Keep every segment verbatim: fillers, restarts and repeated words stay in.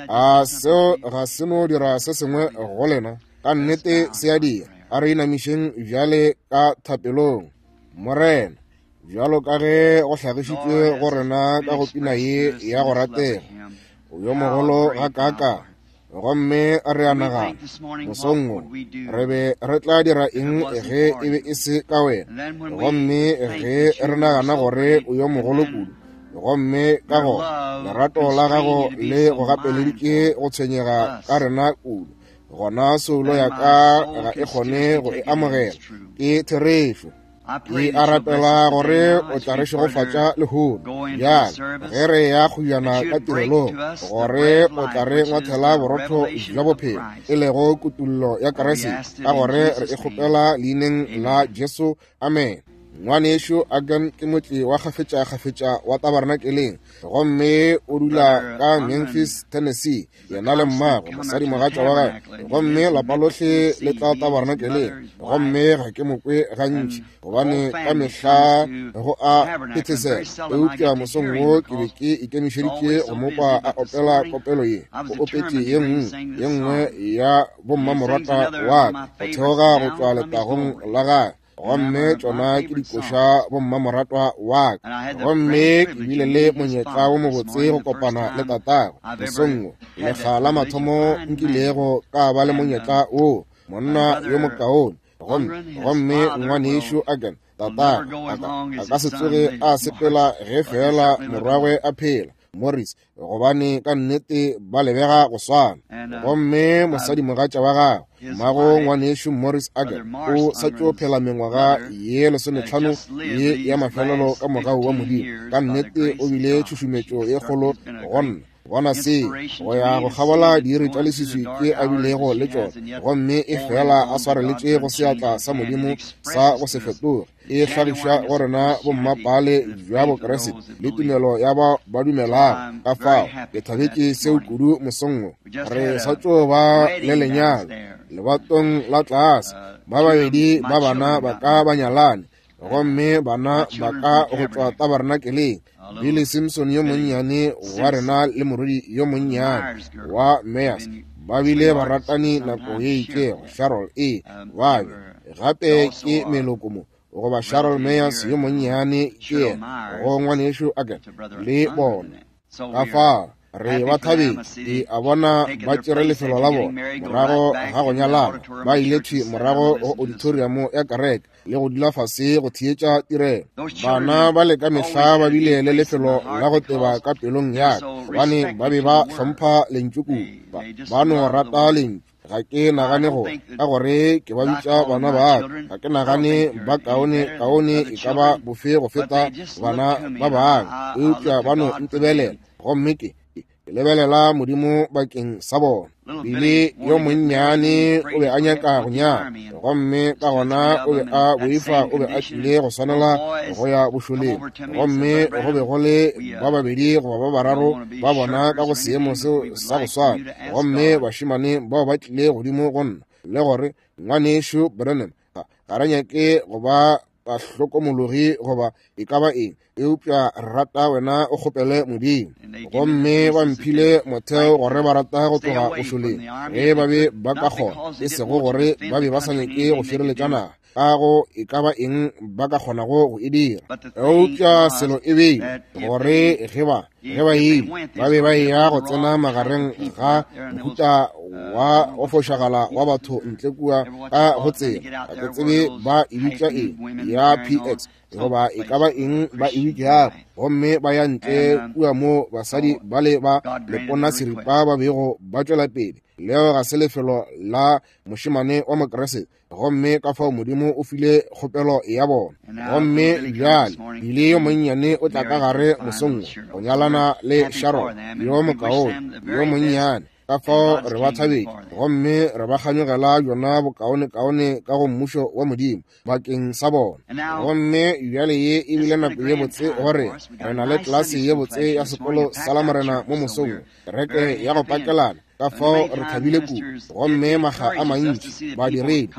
A seo ga se no dira se sengwe go lena? Ka nnete se a dira. A re inamišeng bjale ka thapelong. Morena, bjalo ka ge go hlagišitšwe go rena ka go pina ye ya go ratega, o yo mogolo gakaakang. Gomme re a nagana mosong wo re be re tla dira eng ge e be e se ka wena. Gomme ge re nagana gore o yo mogolo kudu, gomme ka gona lerato la gago le go gapeleditše go tshwenyega ka rena kudu, gona soulo ya ka ga e kgone go e amogela. Ke therešo. Ke a rapela gore o tla re šegofatša lehono bjale ge re ya kgojana ka tirelong, gore o tla re ngwathela borotho bja bophelo, e lego kutullo ya Kriste, ka gore re e kgopela leineng la Jesu. Amen. Ngwanešo Agan ke motli wa kgafetša-kgafetša wa tabernakeleng, gomme o dula ka Memphis, Tennessee, yena le mmagwe, mosadimogatša wa gagwe, gomme lapa lohle le tla tabernakeleng. Gomme ga ke mo kwe gantši, gobane ka mehla go a phethesela, eupša mosong wo ke be ke ikemišeditše go mo kwa a opela kopelo ye. O opetše ye nngwe ye nngwe ya bommamorata wa ka go theoga go tšwa letagong la gagwe, gomme tšona ke dikoša bommamoratwa wa ka. Gomme ke bile le monyetla wo mobotse go kopana le tatagwe mosong wo, lekga la mathomo nkilego ka ba le monyetla wo, monna yo mokaone. Gomme gomme ngwanešo Agan, tatagwe a ka se tsoge a sepela ge fela morwagwe a phela, Morris, gobane ka nnete ba lebega go swana. Gomme mosadimogatša wa gagwe, mmago ngwanešo Morris Agan, o sa tšo phela mengwaga ye lesometlhano ye ya mafelelo ka mogau wa Modimo. Ka nnete o bile tšhušumetšo ye kgolo go nna bona se go ya go kgabola diiri tša leswiswi tše a bilego le tšona, gomme e fela a swareletše go seatla sa Modimo sa go se fetoge, e hlagiša go rena bommapale bja Bokriste le tumelo ya ba ba dumelago. Ka fao ke thabetše seo kudu mosong wo. Re sa tšo ba le lenyalo lebatong la tlase, ba babedi ba bana ba ka ba nyalane, gomme bana ba ka go tšwa tabernakeleng, Billy Simpson yo monnyane wa rena le morwedi yo monnyane wa Meyers ba bile baratani nako ye itšego. Cheryl e ba be gape ke meloko mo, goba Cheryl Meyers yo monnyane ke yena go ngwanešo Agan le bona. Ka fao re ba thabetše, ke a bona ba tšere lefelo la bona morago ga go nyalana, ba ile thwi morago go auditorium ya kereke le go dula fase go theetša tirelo. Bana ba le ka mehla ba bile le lefelo la go teba ka pelong ya ka, gobane ba be ba hlompha lentšu kudu, ba no rata lentšu. Ga ke nagane gore ka gore ke ba bitša bana ba ka, ga ke nagane ba kaone kaone e ka ba bofe go feta bana ba bangwe, eupša ba no ntebelela, gomme ke ke lebelela Modimo bakeng sa bona. Bile yo monnyane o be a nyaka go nyala, gomme ka gona o be a boifa o be a tlile go swanela go ya bošoleng, gomme go be go le ba babedi goba ba bararo ba bona ka go seemo seo sa go swana. Gomme bašemane bao ba tlile godimo go nna le gore, ngwanešo Branham, ga re nyake go ba bahlokomologi goba e ka ba eng, eupša re rata wena o kgopele Modimo. Gomme ba mphile motheo gore ba rata go tloga bošoleng ge ba be ba ka kgona, e sego gore ba be ba sa nyake go šireletša naga ka go e ka ba eng ba ka kgonago go e dira. Eupša selo e beile gore ge ba ge ba ile ba be ba eya go tsena magareng ga mohuta wa go fošagala wa batho ntle kua ka go tsela, ga ke tsebe ba e bitša eng ya P X goba e ka ba eng ba e bitšago, gomme ba ya ntle kua mo basadi ba le ba lepona seripa ba bego ba tšwela pele. Leo ga se lefelo la mošemane wa Mokriste, gomme ka fao Modimo o file kgopelo ya bona. Gomme bjale Bile yo monnyane o tla ka gare mosong wo go nyalana le Sharon yo mokaone yo monnyane. Ka fao re ba thabetše gomme re ba kganyogela bjona bokaonekaone ka go mmušo wa Modimo bakeng sa bona. Gomme bjale ye e bile nako ye botse gore re na le klase ye botse ya sekolo sa Lamorena mo mosong wo, kereke ya go pakelana. Ka fao re thabile kudu, gomme makga a mantši badiredi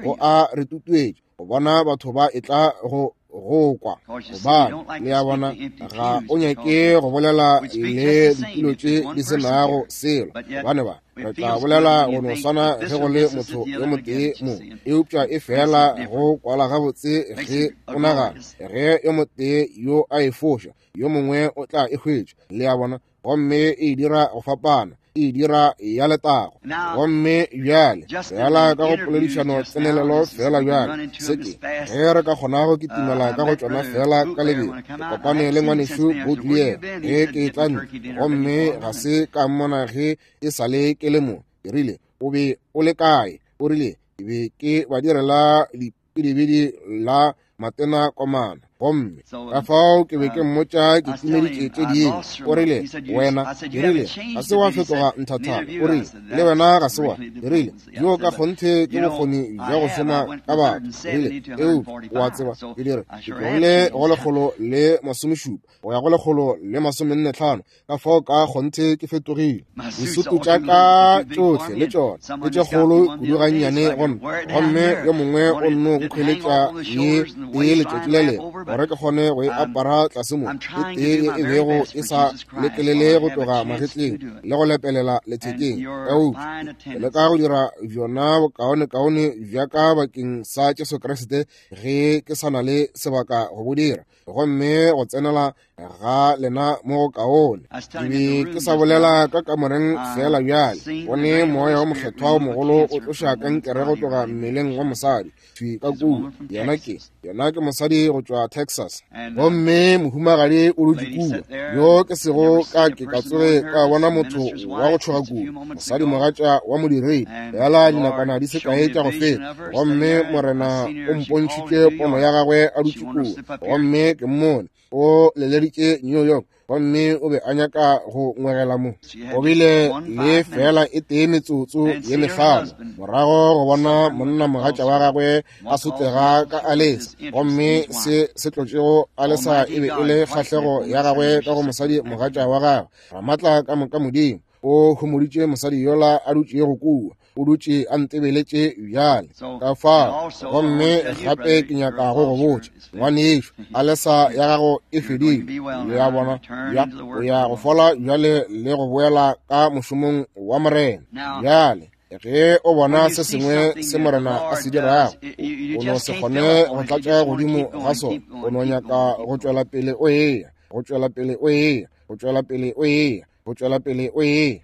go a re tutuetša go bona batho ba etla go go kwa. Gobane le a bona, ga o nyake go bolela le ditulo tše di se nago selo, gobane ba re tla bolela go no swana ge go le motho yo motee mo, eupša e fela go kwala gabotse ge o nagana ge yo motee yo a e foša, yo mongwe o tla e hwetša. Le a bona, gomme e dira go fapana, e dira ya letago. Gomme bjale fela ka go poledišano tsenelelo fela bjale se ke ge re ka kgona go kitimela ka go tšona fela ka lebelo. Ke kopane le ngwanešu Boutlier ge ke tla ntle, gomme ga se ka mmona ge e sa le ke le mo. Ke rile, o be o le kae? O rile, ke be ke ba direla dipidibidi la matena komana. Gomme ka fao ke be ke mmotša ke timeditše tše dingwe. O rile, wena, ke rile, ga se wa fetoga nthathana. O rile, le wena ga se wa. Ke rile, yo ka kgonthe ke bokgoni bja go šoma ka batho. Ke rile, eupša o a tseba, ke dire, ke tlogile go lekgolo le masomešupa go ya go lekgolo le masomenne tlhano, ka fao ka kgonthe ke fetogile. Disutu tša ka tšohle le tšona ke tše kgolo kudu gannyane go nna, gomme yo mongwe o nno nkhweletša ye tee letšatši le lengwe gore ke kgone go e apara tlase mo, e tee ye e bego e sa lekelele go tloga magetleng le go lepelela lethekeng. Eupša ke leka go dira bjona bokaonekaone bja ka bakeng sa Jesu Kriste ge ke sa na le sebaka go bo dira, gomme go tsenela ga lena mo go kaone. Ke be ke sa bolela ka kamoreng fela bjale, gone moya wa mokgethwa o mogolo o tloša kankere go tloga mmeleng wa mosadi thwi ka kua. Yena ke yena ke mosadi go tšwa Texas, gomme mohumagadi o dutše kua, yo ke sego ka ke ka tsoge ka bona motho wa go tšhoga kudu, mosadi mogatša wa modiredi, fela dinakwana di se kae tša go feta. Gomme Morena o mpontšhitše pono ya gagwe a dutše kua, gomme ke mmone o leleditše New York, gomme o be a nyaka go ngwegela mo. O bile le fela e tee metsotso ye mehlano morago go bona monna mogatša wa gagwe a sotlega ka alesa, gomme se se tlotšego alesa e be e le kgahlego ya gagwe ka go mosadi mogatša wa gagwe. Ramatla ka moka Modimo o homoditše mosadi yola a dutšego kua, o dutše a ntebeletše bjale ka fao. Gomme gape ke nyaka go go botša, ngwanešo, alesa ya gago e fedile. Le a bona, ya o ya go fola bjale le go boela ka mošomong wa Morena. Bjale ge o bona se sengwe se Morena a se dirago, o no se kgone go tlatša godimo ga sona, o no nyaka go tšwela pele o eya, go tšwela pele o eya, go tšwela pele o eya, go tšwela pele o eya.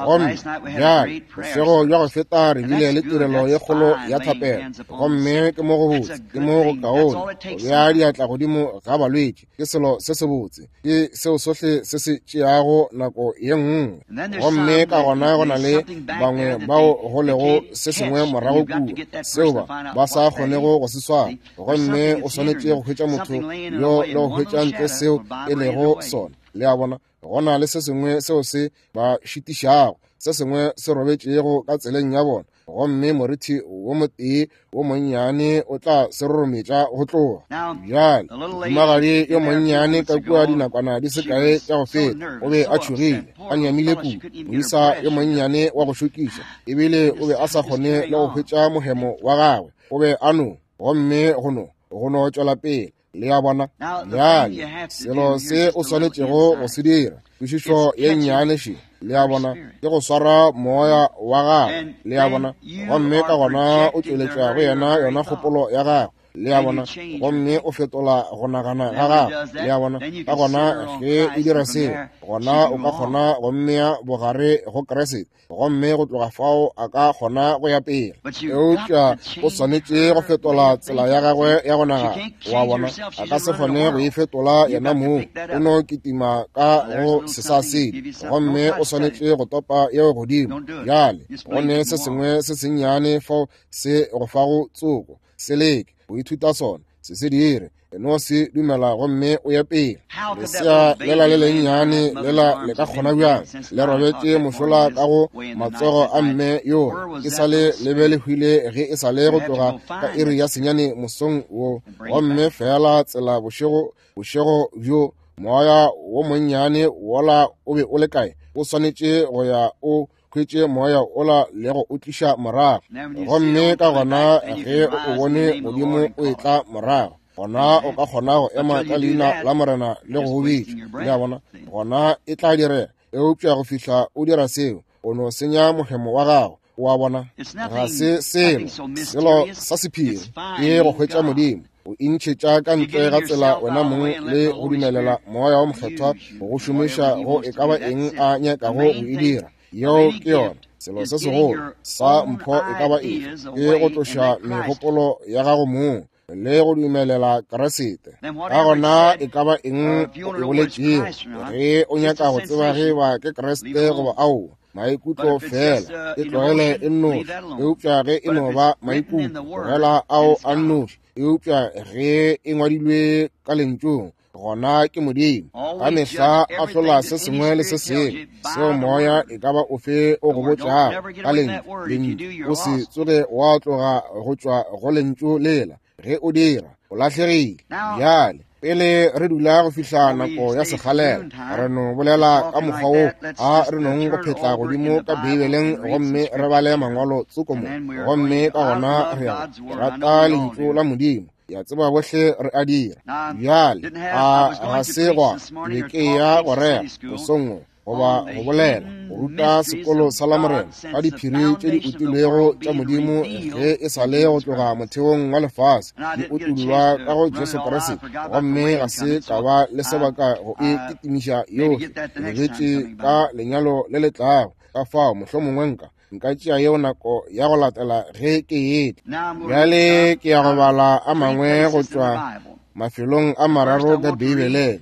Gomme bjale bošego bja go feta re bile le tirelo ye kgolo ya thapelo, gomme ke mo go botse, ke mo go kaone go bea diatla godimo ga balwetši, ke selo se sebotse, ke seo sohle se se tšeago nako ye nngwe. Gomme ka gona go na le bangwe bao go lego se sengwe morago kua seo ba ba sa kgonego go se swara, gomme o swanetše go hwetša motho yo le go hwetša ntle seo e lego sona. Le a bona, go na le se sengwe seo se ba šitišago, se sengwe se robetšego ka tseleng ya bona, gomme morithi wo motee wo monnyane o tla se rorometša go tloga. Bjale mohumagadi yo monnyane ka kua dinakwana di se kae tša go feta o be a tšhogile, a nyamile kudu, moisa yo monnyane wa go šokiša, ebile o be a sa kgone le go hwetša mohemo wa gagwe, o be a no, gomme go no go no tšwela pele. Le a bona, bjale selo se o swanetšego go se dira, kwešišo ye nnyane še, le a bona, ke go swara moya wa gagwe. Le a bona, gomme ka gona o tšweletša go yena yona kgopolo ya gagwe. Le a bona, gomme o fetola go nagana ga gagwe. Le a bona, ka gona ge o dira seo, gona o ka kgona go mmea bogare go Kriste, gomme go tloga fao a ka kgona go ya pele. Eupša o swanetše go fetola tsela ya gagwe ya go nagana. Wa bona, a ka se kgone go e fetola yena mong, o no kitima ka go sesasedi, gomme o swanetše go topa yeo godimo. Bjale go ne se sengwe se sennyane fao se go fago tsoko, se leke go ithuta sona, se se dire, no se dumela gomme o ye pele. Lesea lela le lennyane lela le ka kgona bjang le robetše mošola ka go matsogo a mme yo e sa le le be le hwile ge e sa le go tloga ka iri ya senyane mosong wo, gomme fela tsela bošego bošego bjo moya wo monnyane wola o be o le kae? O swanetše go ya o hwetše moya ola le go o tliša morago. Gomme ka gona ge o bone Modimo o etla morago, Gona o ka kgona go ema ka leina la Morena le go bitša. Le a bona? Gona e tla direga. Eupša go fihla o dira seo, o no senya mohemo wa gago. O a bona? Ga se selo, selo sa sephiri ke go hwetša Modimo. O intšhetša ka ntle ga tsela wena mong le go dumelela Moya wo Mokgethwa go šomiša go e ka ba eng a nyakago go e dira. Yeo ke yona. Selo se segolo sa mpho e ka ba efe ke go tloša megopolo ya gago mong le go dumelela Kriste. Ka gona e ka ba eng o e boletšego, ge o nyaka go tseba ge ba ke Kriste goba aowa, maikutlo fela, e tlogele e nnoši. Eupša ge e no ba maikutlo, tlogela ao a nnoši. Eupša ge e ngwadilwe ka lentšung, gona ke Modimo. Ka mehla ahlola se sengwe le se sengwe seo moya e ka ba ofe o go botšago ka lentšu. Lentšu, o se tsoge wa tloga go tšwa go lentšu lela. Ge o dira, o lahlegile. Bjale, pele re dula go fihla nako ya sekgalela, re no bolela ka mokgwa wo a re nong go phetla godimo ka Beibeleng gomme re bale mangwalo tsoko mo, gomme ka gona re ya go rata lentšu la Modimo. Ya tseba bohle re a dira. Bjale, a ga se gwa be ke ya go rera mosong wo goba go bolela go ruta sekolo sa Lamorena ka diphiri tše di utilwego tša Modimo ge e sa le go tloga motheong wa lefase di utullwa ka go Jesu Kriste, gomme ga se ka ba le sebaka go e kitimiša yohle. Ke lebetše ka lenyalo le le tlago, ka fao mohlomongwe nka nka tšea yeo nako ya go latela ge ke etla. Bjale ke ya go bala a mangwe go tšwa mafelong a mararo ka Beibeleng.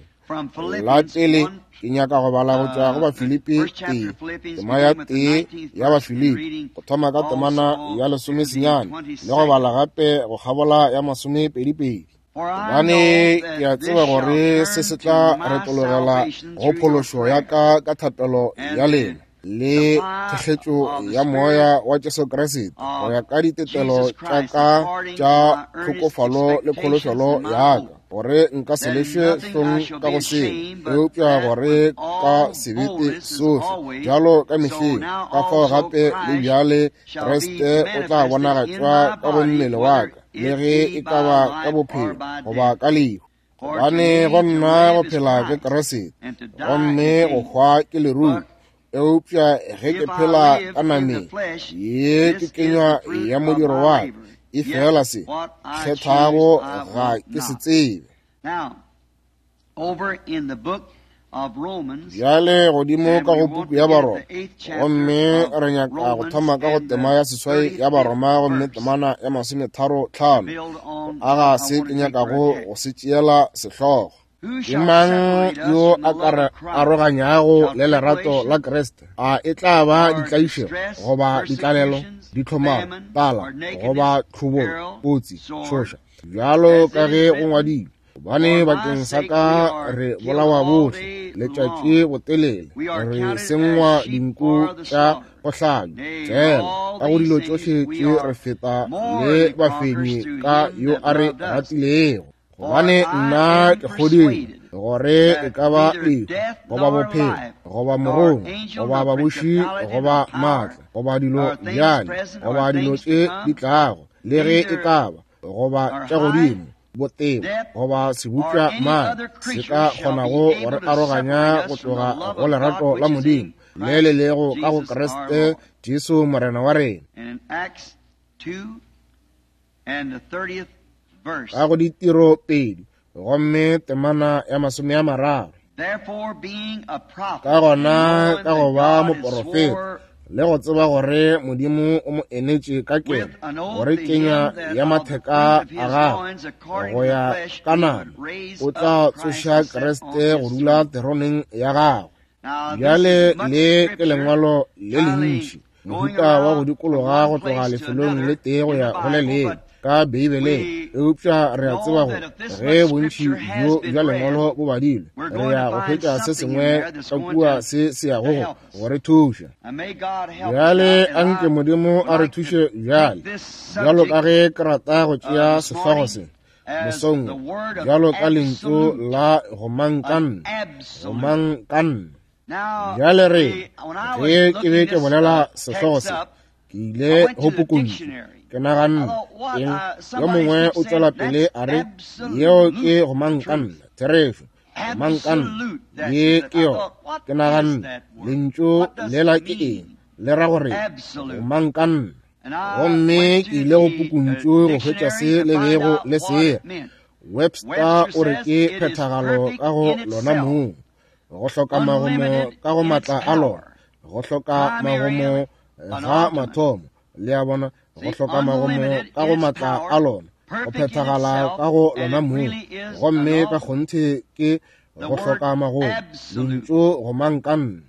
La pele ke nyaka go bala go tšwa go Bafilipi tee, tema ya tee ya Bafilipi, go thoma ka temana ya lesomesenyane le go bala gape go kgabola ya masomepedipedi. Gobane ke a tseba gore se se tla retologela go phološo ya ka ka thapelo ya lena le thekgetšo ya moya wa Jesu Kriste go ya ka ditetelo tša ka tša tlhokofalo le kholofelo ya ka, gore nka se lešwe hlong ka go selo, eupša gore ka sebete sohle bjalo ka mehleng, ka fao gape le bjale Kriste o tla bonagatšwa ka go mmele wa ka, le ge e ka ba ka bophelo goba ka lehu. Gobane go nna go phela ke Kriste, gomme go hwa ke leruo. Eupša ge ke phela ka nameng, ye ke kenywa ya modiro wa ka, e fela se kgethago ga ke se tsebe. Bjale godimo ka go puku ya Baroma, gomme re nyaka go thoma ka go tema ya seswai ya Baroma, gomme temana ya masometharo tlhano, go aga se ke nyakago go se tšeela sehlogo. Ke mang yo a ka re aroganyago le lerato la Kriste? A e tla ba ditlaišego goba ditlalelo, ditlhomaro, tlala goba tlhobolo, kotsi, tšhoša, bjalo ka ge go ngwadilwe, gobane bakeng sa ka re bolawa bohle letšatši botelele, re sengwa dinku tša go hlabja. Fela ka go dilo tšohle tše re feta le bafenyi ka yo a re ratilego. Gobane nna ke kgodile gore e ka ba lehu goba bophelo goba morongwa goba babuši goba maatla goba dilo bjale goba dilo tše di tlago, le ge e ka ba goba tša godimo botebo goba sebopša mang se ka kgonago go re aroganya go tloga go lerato la Modimo le le lego ka go Kriste Jesu Morena wa rena. Ka go ditiro pedi gomme temana ya masome a mararo. Ka gona ka go ba moporofeta le go tseba gore Modimo o mo enetše ka keno gore kenya ya matheka a gagwe go ya ka nama, o tla tsoša Kriste go dula teroneng ya gagwe. Bjale le ke lengwalo le lentši, mohuta wa go dikologa go tloga lefelong le tee go ya go le lengwe ka Beibeleng, eupša re a tseba gore ge bontši bjo bja lengwalo bo badilwe, re ya go hwetša se sengwe ka kua se se yago go go re thuša. Bjale anke Modimo a re thuše bjale, bjalo ka ge ke rata go tšea sehlogo se mosong, bjalo ka lentšu la gomangkanna, gomangkanna. Bjale re ge ke be ke bolela sehlogo se, ke ile go pukuntšu, Ke naganne eng, yo mongwe o tswela pele a re, yeo ke gomangkanna, therešo, gomangkanna, ye ke yona. Ke naganne, lentšu lela ke eng, le ra gore gomangkanna. Gomme ke ile go pukuntšu go hwetša se le bego le se. Webster o re ke phethagalo ka go lona mong, go hloka magomo ka go matla a lona, go hloka magomo ga mathomo, le a bona, go hloka magomo ka go matla a lona, go phethagala ka go lona mong, gomme ka kgonthe ke go hloka magomo, lentšu gomangkanna.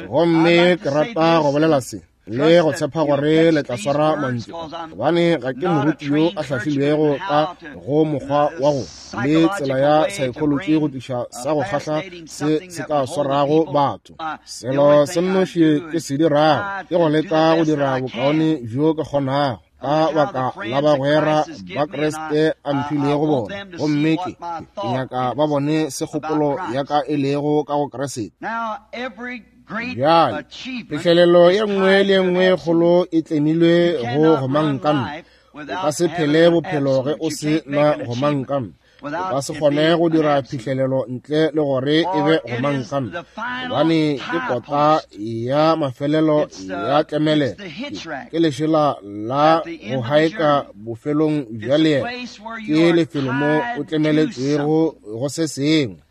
Gomme ke rata go bolela se le go tshepa gore le tla swara mantšu, gobane ga ke moruti yo a hlahlilwego ka go mokgwa wa go le tsela ya psychology go tliša sa go kgahla se se ka swarago batho. Selo se nnoši ke se dirago ke go leka go dira bokaone bjo ke kgonago ka baka la bagwera ba Kriste a mphilego bona, gomme ke ke nyaka ba bone se kgopolo ya ka e lego ka go Kriste. Bjale, phihlelelo ye nngwe le ye nngwe kgolo e tlemilwe go gomangkanna. O ka se phele bophelo ge o se na gomangkanna. O ka se kgone go dira phihlelelo ntle le gore e be gomangkanna, gobane ke kota ya mafelelo ya tlemelelo, ke lešela la go haeka bofelong bja leeto, ke lefelo mo o tlemeletšwego go se sengwe.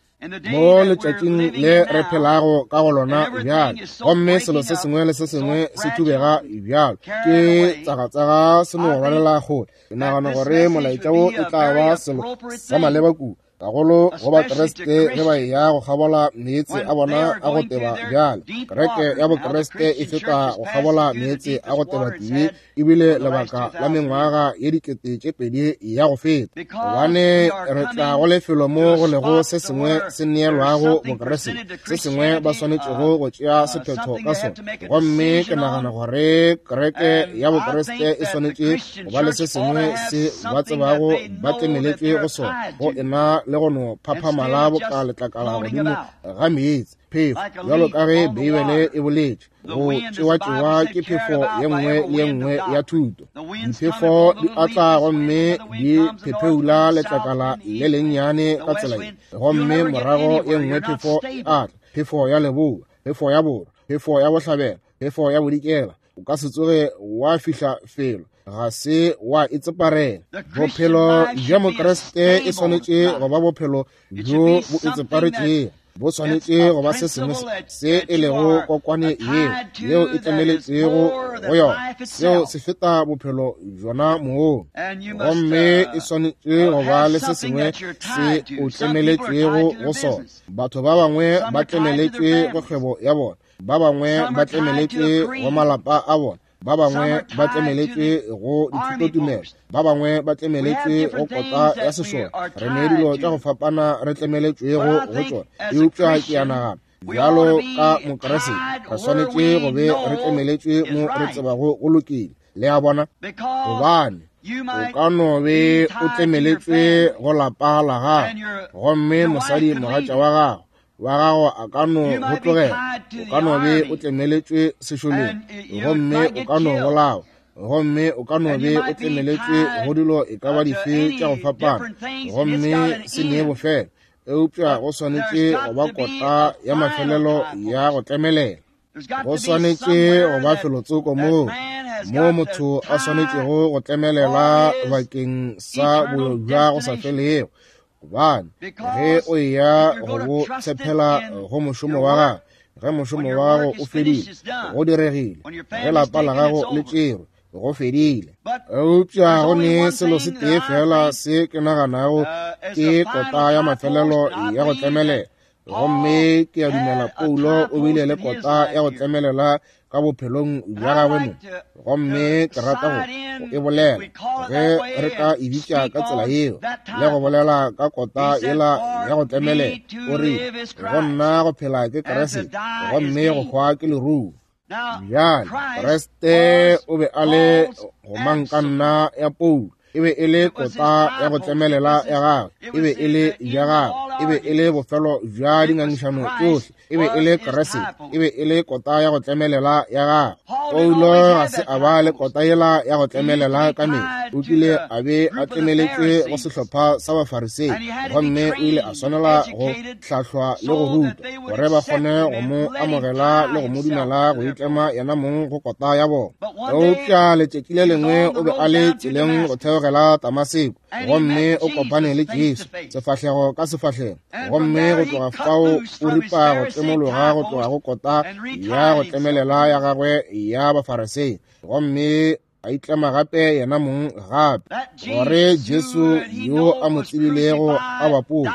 Mo letšatšing le re phelago ka go lona bjale, gomme selo se sengwe le se sengwe se thubega bjalo, ke tsagatsaga se no rwalela kgole. Ke nagana gore molaetša wo e tla ba selo sa maleba kudu, gagolo go Bakriste ge ba eya go kgabola meetse a bona a go teba bjale. Kereke ya Bokriste e feta go kgabola meetse a go teba tibe ebile lebaka la mengwaga ye dikete tše pedi ya go feta, gobane re tla go lefelo mo go lego se sengwe se neelwago Bokriste, se sengwe ba swanetšego go tšea sephetho ka sona. Gomme ke nagana gore kereke ya Bokriste e swanetše go ba le se sengwe se ba tsebago ba tlemeletšwe go sona, go ena le go no phaphamala boka letlakala godimo ga meetse, phefo, bjalo ka ge Beibele e boletše, go tšewa-tšewa ke phefo ye nngwe le ye nngwe ya thuto. Diphefo di atla gomme di phepheula letlakala le lennyane ka tsela ye, gomme morago ye nngwe phefo e atla, phefo ya leboa, phefo ya borwa, phefo ya bohlabela, phefo ya bodikela. O ka se tsoge wa fihla felo, ga se wa itseparela. Bophelo bja Mokriste e swanetše go ba bophelo bjo bo itseparetšego, bo swanetše go ba se sengwe se e lego kokwane yeo yeo e tlemeletšego go yona, seo se feta bophelo bjona moo. Gomme e swanetše go ba le se sengwe se o tlemeletšwego go sona. Batho ba bangwe ba tlemeletšwe go kgwebo ya bona, ba bangwe ba tlemeletšwe go malapa a bona, ba bangwe ba tlemeletšwe go dithutotumelo, ba bangwe ba tlemeletšwe go kota ya sešole. Re ne dilo tša go fapana re tlemeletšwego go tšona, eupša ke a nagana bjalo ka Mokriste re swanetše go be re tlemeletšwe mo re tsebago go lokile. Le a bona, gobane o ka no be o tlemeletšwe go lapa la gago, gomme mosadi mogatša wa gago wa gago a ka no go tlogela, o ka no be o tlemeletšwe sešoleng, gomme o ka no bolawa, gomme o ka no be o tlemeletšwe go dilo e ka ba dife tša go fapana, gomme se nee bofelo. Eupša go swanetše go ba kota ya mafelelo ya go tlemelela. Go swanetše go ba felotsoko moo mo motho a swanetšego go tlemelela bakeng sa boyo bja go sa felego, gobane ge o eya go bo tshepela go mošomo wa gago, ge mošomo wa gago o fedile, go diregile, ge lapa la gago le tšerwe, go fedile. Eupša go ne selo se tee fela se ke naganago ke kota ya mafelelo ya go tlemelela, gomme ke a dumela Paulo o bile le kota ya go tlemelela ka bophelong bja gagwe mo, gomme ke rata go e bolela ge re ka e bitša ka tsela yeo, le go bolela ka kota yela ya go tlemelela. O re, go nna go phela ke Kriste, gomme go hwa ke leruo. Bjale Kriste o be a le gomangkanna ya Paulo, e be e le kota ya go tlemelela ya gagwe, e be e le bja gagwe, e be e le bofelo bja dingangišano tšohle, e be e le Kriste, e be e le kota ya go tlemelela ya gagwe. Paulo ga se a ba le kota yela ya go tlemelela ka mehla. O kile a be a tlemeletšwe go sehlopha sa Bafarisei, gomme o ile a swanela go hlahlwa le go rutwa gore ba kgone go mo amogela le go mo dumela go itlema yena mong go kota ya bona. Eupša letšatši le lengwe o be a le tseleng go theogela Damaseko, gomme o kopane le Jesu sefahlego ka sefahlego, gomme go tloga fao o ripa go tlemologa go tloga go kota ya go tlemelela ya gagwe ya Bafarisei, gomme a itlema gape yena mong gape, gore Jesu yo a mo tsebilego a bapotse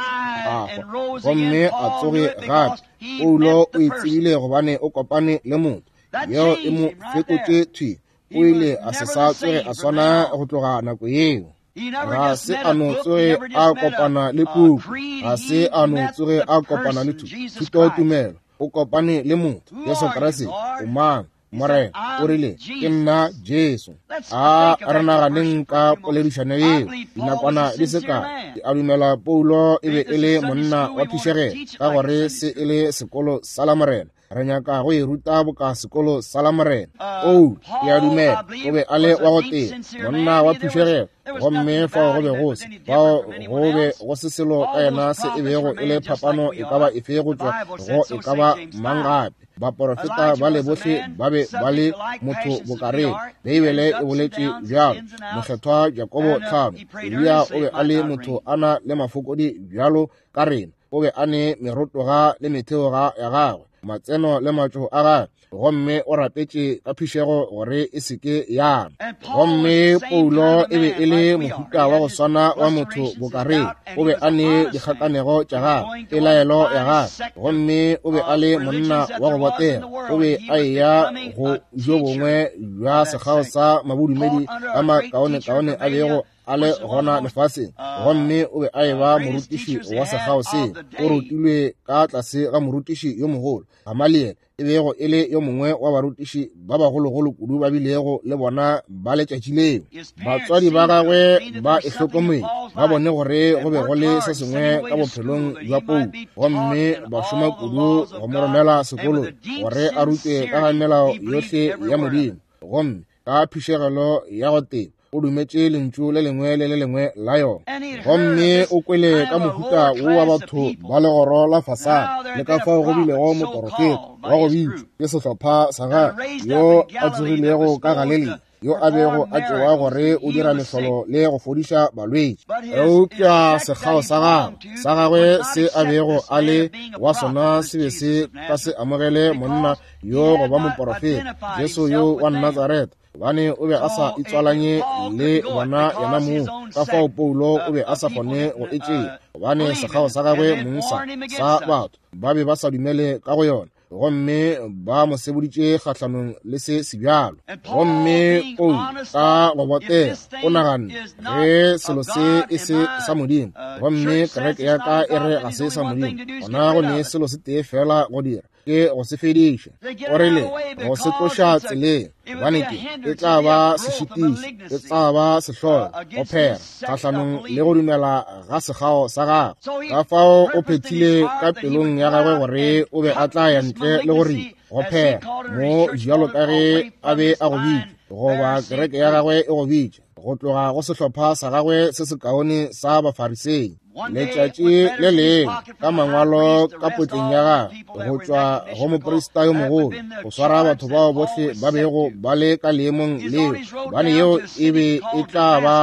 a hwa gomme a tsoge gape. Paulo o e tsebile gobane o kopane le motho yeo e mo fetotše thwi. O ile a se sa tsoge a swana go tloga nako yeo. Ga se a no tsoge a kopana le puku, ga se a no tsoge a kopana le thutotumelo. O kopane le motho Jesu Kriste. O mang? Morena o rile, ke nna Jesu. A re naganeng ka poledišano yeo dinakwana di se kae. Ke a dumela Paulo e be e le monna wa phišegelo, ka gore se e le sekolo sa la Morena. Re nyaka go e ruta boka sekolo sa la Morena. O, ke a dumela o be a le wa go tee, monna wa phišegelo, gomme fao go be go se fao go be go se selo ka yena se e bego e le phapano e ka ba efe go tšwa go e ka ba mang gape. Baporofeta ba le bohle ba be ba le motho bokareng. Beibele e boletše bjalo. Mokgethwa Jakobo tlhano, Eliya o be a le motho a na le mafokodi bjalo ka rena. O be a ne merotoga le metheoga ya gagwe, matseno le matšo a gagwe, gomme o rapetše ka phišego gore e se ke yana. Gomme Paulo e be e le mohuta wa go swana wa motho bokareng. O be a ne dikgakanego tša gagwe, pelaelo ya gagwe, gomme o be a le monna wa go botega. O be a eya go jo bongwe bja sekgao sa mabodumedi a makaonekaone a bego a le gona lefaseng, gomme o be a eba morutiši wa sekgao seo. O rutilwe ka tlase ga morutiši yo mogolo Gamaliel, e bego e le yo mongwe wa barutiši ba bagologolo kudu ba bilego le bona ba letšatši leo. Batswadi ba gagwe ba e hlokometse, ba bone gore go be go le se sengwe ka bophelong bja Paulo, gomme ba šoma kudu go mo romela sekolong gore a rutwe ka ga melao yohle ya Modimo, gomme ka phišegelo ya go teba o dumetše lentšu le lengwe le le lengwe la yona. Gomme o kwele ka mohuta wo wa batho ba legoro la fasana, le ka fao go bilego moporofeta wa go bitšwa ke sehlopha sa gagwe yo a tsogilego ka Galilea, yo a bego a tšewa gore o dira mehlolo le go fodiša balwetši. Eupša sekgao sa gagwe sa gagwe se a bego a le wa sona se be se ka se amogele monna yo go ba moporofeta, Jesu yo wa Natsaretha, gobane o be a sa itswalanye le bona yena mong. Ka fao Paulo o be a sa kgone go e tšea, gobane sekgao sa gagwe mong sa sa batho ba be ba sa dumele ka go yona, gomme ba mo seboditše kgahlanong le se sebjalo. Gomme Paulo ka go botega o naganne, ge selo se e se sa Modimo, gomme kereke ya ka e re ga se sa Modimo, gona go ne selo se tee fela go dira, ke go se fediša. O rile go se tloša tseleng, gobane ke e tla ba sešitiši, e tla ba sehlogo go phera kgahlanong le go dumela ga sekgao sa gagwe. Ka fao o phethile ka pelong ya gagwe gore o be a tla ya ntle le go ripa go phera mo bjalo ka ge a be a go bitša, goba kereke ya gagwe e go bitša, go tloga go sehlopha sa gagwe se sekaone sa Bafarisei. Letšatši le lengwe ka mangwalo ka potleng ya gagwe go tšwa go moprista yo mogolo go swara batho bao bohle ba bego ba le ka leemong leo, gobane yeo e be e tla ba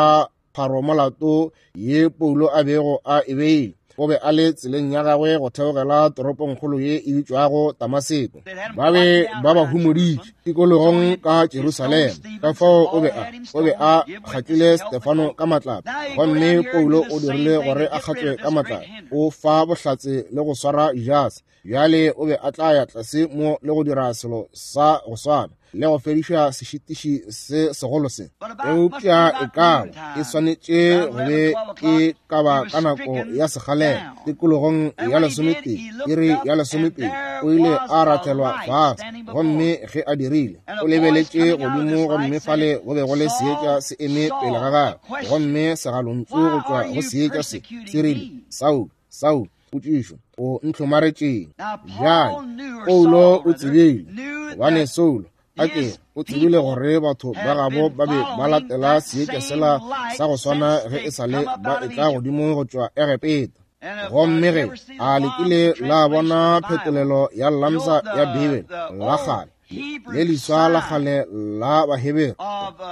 pharomolato ye Paulo a bego a e beile. O be a le tseleng ya gagwe go theogela toropongkgolo ye e bitšwago Damaseko. Ba be ba ba humoditše tikologong ka Jerusalema. Ka fao o be a o be a kgatlile Stefano ka matlapa, gomme Paulo o dirile gore a kgatlwe ka matlapa. O fa bohlatse le go swara Judase. Bjale o be a tla ya tlase mo le go dira selo sa go swana le go fediša sešitiši se segolo se. Eupša e ka ba e swanetše go be e ka ba ka nako ya sekgalela tikologong ya lesomepedi, iri ya lesomepedi, o ile a rathelwa fase. Gomme ge a dirile, o lebeletše godimo, gomme fale go be go le seetša se eme pele ga gagwe, gomme segalontšu go tšwa go seetša se se rile, Saulo, Saulo, potšišo, o ntlhomaretšeng? Bjale Paulo o tsebile, gobane Saulo A ke o tsebile gore batho ba gabo ba be ba latela seetša sela sa go swana ge e sa le ba etla godimo go tšwa Egepeta. Gomme ge a lekile la bona phetolelo ya Lamsa ya Bibele la kgale le leswa la kgale la Bahebere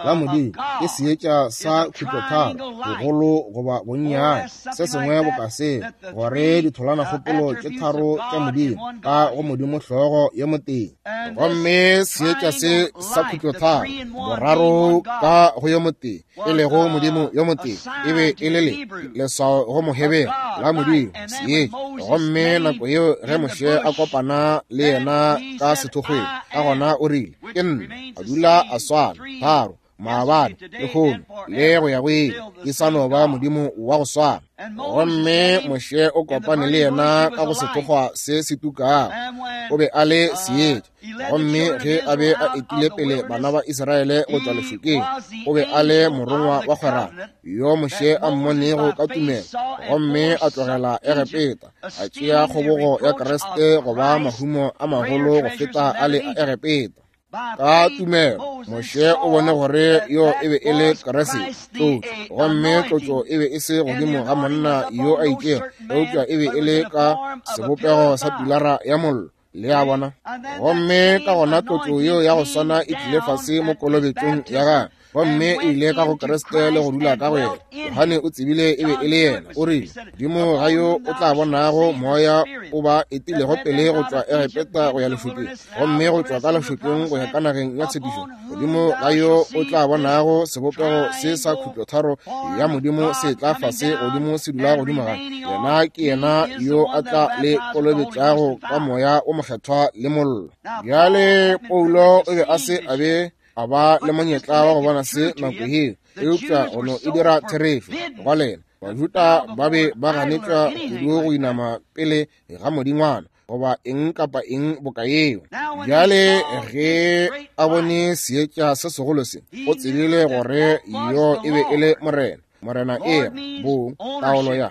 la Modimo ke seetša sa khutlotharo bogolo goba bonnyane se sengwe boka seo, gore ditholanakgopolo tše tharo tša Modimo ka go Modimo hlogo ye motee. Gomme seetša se sa khutlotharo boraro ka go yo motee, e lego Modimo yo motee, e be e le le leswao go Mohebere la Modimo seetša. Gomme nako yeo ge Moshe a kopana le yena ka sethokgweng, ka gona o rile, ke nna, a dula a swana tharo maabane lehono le go ya go ile, ke sa no ba Modimo wa go swana. Gomme Moshe o kopane le yena ka go sethokgwa se se tukago, o be a le seetša. Gomme ge a be a etile pele bana ba Israele go tšwa lešokeng, o be a le morongwa wa kgwerano yo Moshe a mmonego ka tumelo, gomme a tlogela Egepeta, a tšea kgobogo ya Kriste go ba mahumo a magolo go feta a le a Egepeta. Ka tumelo Moshe o bone gore yo e be e le Kriste tlotšo, gomme tlotšo e be e se godimo ga monna yo a itšego, eupša e be e le ka sebopego sa pilara ya mollo. Le a bona? Gomme ka gona tlotšo yeo ya go swana e tlile fase mo kolobetšong ya gagwe, gomme e ile ka go Kriste le go dula ka go yena. Johane o tsebile e be e le yena. O rile, Modimo ga yo o tla bonago moya o ba etilego pele go tšwa Egepeta go ya lešokeng, gomme go tšwa ka lešokeng go ya ka nageng ya tshepišo, Modimo ga yo o tla bonago sebopego se sa khutlotharo ya Modimo se tla fase godimo se dula godimo ga yena, ke yena yo a tla le kolobetšago ka moya o mokgethwa le mollo. Bjale Paulo o be a se a be a ba le monyetla wa go bona se nako yeo, eupša go no e dira therešo go lena. Bajuda ba be ba ganetšwa kudu go inama pele ga modingwana goba eng kapa eng boka yeo. Bjale ge a bone seetša se segolo se, o tsebile gore yo e be e le Morena. Morena e bong taolo ya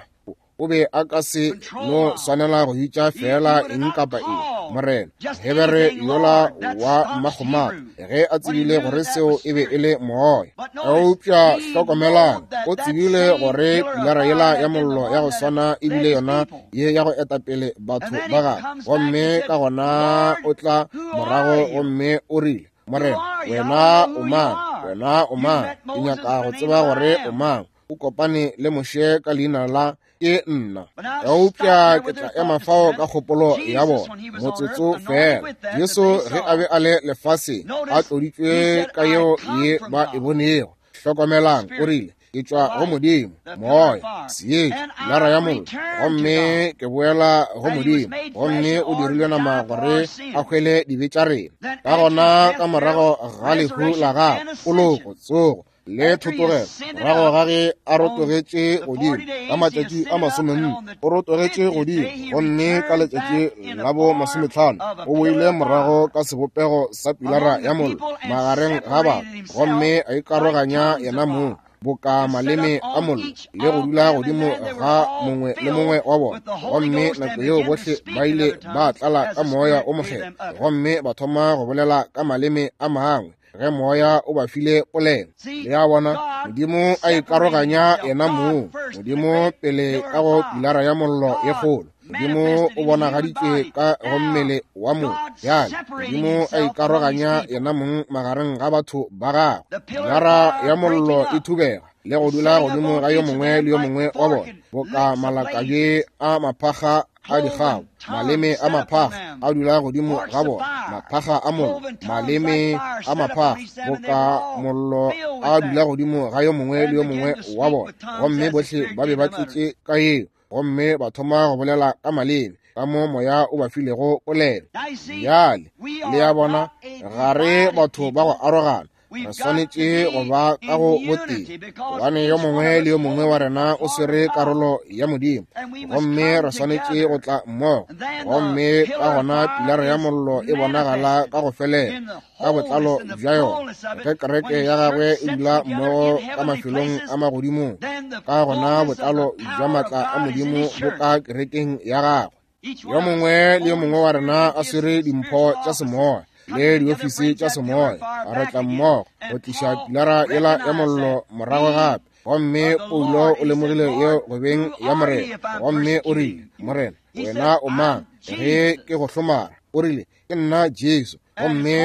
o be a ka se no swanela go bitša fela eng kapa eng Morena. Hebere yola wa mmakgomata ge a tsebile gore seo e be e le moya. Eupša hlokomelang, o tsebile gore pilara yela ya mollo ya go swana ebile yona ye ya go etapele batho ba gagwe. Gomme ka gona o tla morago gomme o rile, Morena, wena o mang? Wena o mang? Ke nyaka go tseba gore o mang. O kopane le Moshe ka leina la ke nna. Eupša ke tla ema fao ka kgopolo ya bona motsotso fela. Jesu ge a be a le lefaseng a tloditšwe ka yeo ye ba e bonego. Hlokomelang, o rile, ke tšwa go Modimo, moya, seetša, pilara ya mollo, gomme ke boela go Modimo. Gomme o dirilwe nama gore a hwele dibe tša rena. Ka gona ka morago ga lehu la gagwe, poloko, tsogo le thotogelo, morago ga ge a rotogetše godimo ka matšatši a masomenne, o rotogetše godimo, gomme ka letšatši la bo masometlhano o boile morago ka sebopego sa pilara ya mollo magareng ga batho, gomme a ikaroganya yena mong boka maleme a mollo le go dula godimo ga mongwe le mongwe wa bona. Gomme nako yeo bohle ba ile ba tlala ka moya o mokgethwa, gomme ba thoma go bolela ka maleme a mangwe ge moya o ba file polelo. Le a bona, Modimo a ikaroganya yena mong, Modimo pele ka go pilara ya mollo ye kgolo. Modimo o bonagaditšwe ka go mmele wa motho. Bjale Modimo a ikaroganya yena mong magareng ga batho ba gagwe. Pilara ya mollo e thubega le go dula godimo ga yo mongwe le yo mongwe wa bona, boka malakabje a maphakga a dikgabo, maleme a maphakga a dula godimo ga bona, maphakga a mollo, maleme a maphakga boka mollo a dula godimo ga yo mongwe le yo mongwe wa bona. Gomme bohle ba be ba tletše ka yeo, gomme ba thoma go bolela ka maleme ka mo moya o ba filego polelo. Bjale le a bona, ga re batho ba go arogana, re swanetše go ba ka go botee, gobane yo mongwe le yo mongwe wa rena o swere karolo ya Modimo, gomme re swanetše go tla mmogo. Gomme ka gona pilara ya mollo e bonagala ka go felela ka botlalo bja yona ge kereke ya gagwe e dula mmogo ka mafelong a magodimong. Ka gona botlalo bja maatla a Modimo bo ka kerekeng ya gagwe. Yo mongwe le yo mongwe wa rena a swere dimpho tša semoya. le diofisi tša semoya re tla mmogo go tliša pilara yela ya mollo morago gape. Gomme Paulo o lemogile yeo go beng ya Morena, gomme o rile, Morena, wena o mang ge ke go hlomara? O rile, ke nna Jesu, gomme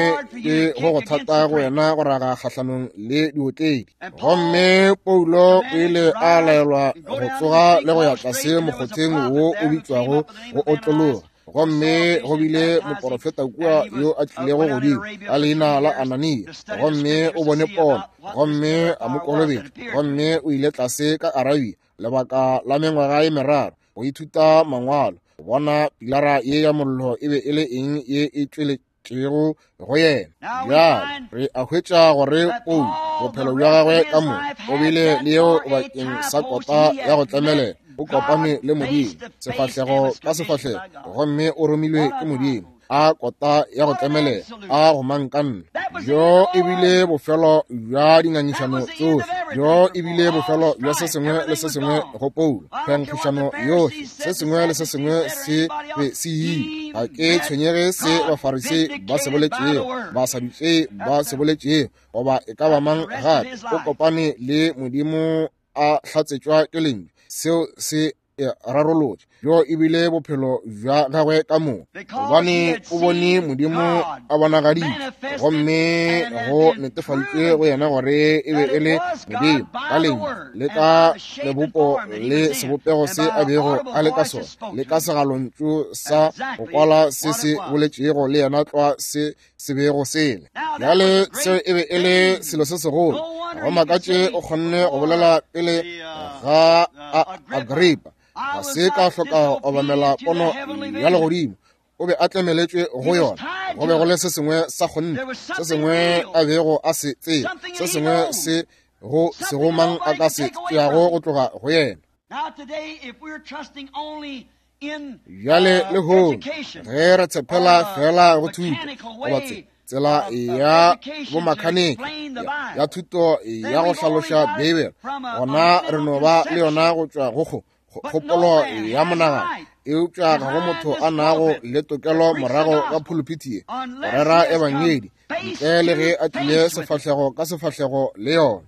ke go go thata go wena go raga kgahlanong le diotledi. Gomme Paulo o ile a laelwa go tsoga le go ya tlase mokgotheng wo o bitšwago go otlologa. Gomme go bile moporofeta kua yo a tlilego godimo ka leina la Anania, gomme o bone pono, gomme a mo kolobetša, gomme o ile tlase ka Arabia lebaka la mengwaga ye meraro go ithuta mangwalo, go bona pilara ye ya mollo e be e le eng ye e tšweletšego go yena. Bjale re a hwetša gore Paulo bophelo bja gagwe ka moka o bile le yeo bakeng sa kota ya go tlemelela. O kopane le Modimo sefahlego ka sefahlego, gomme o romilwe ke Modimo a kota ya go tlemelela a go mankanna. Bjo e bile bofelo bja dingangišano tsohle, bjo e bile bofelo bja se sengwe le se sengwe go Paulo. Phenkgišano yohle, se sengwe le se sengwe se be se ile. Ga ke tshwenyege se Bafarisei ba se boletšego, Basadutsei ba se boletšego, goba e ka ba mang gape. O kopane le Modimo a hlatsetšwa ke lentšu, seo se rarolotše. Bjo e bile bophelo bja gagwe ka moka, gobane o bone Modimo a bonagaditše, gomme go netefaditšwe go yena gore e be e le Modimo ka lentšu le ka lebopo le sebopego se a bego a le ka sona, le ka segalontšu sa go kwala se se boletšego le yena tlwa se se bego sele. Bjale seo e be e le selo se segolo. Go makatše o kgonne go bolela pele ga Agripa. Ga se ka hloka go obamela pono ya legodimo, o be a tlemeletšwe go yona. Go be go le se sengwe sa kgonthe, se sengwe a bego a se tseba, se sengwe se go sego mang a ka se tšeago go tloga go yena. Bjale lehono ge re tshepela fela go thuto goba tsela ya bomakhaniki ya thuto ya go hlaloša Beibele, gona re no ba le yona go tšwa go kgopolo ya monagano. Eupša ga go motho a nago le tokelo morago ga phuluphithi ye go rera ebangedi ntle le ge a tlile sefahlego ka sefahlego le yona.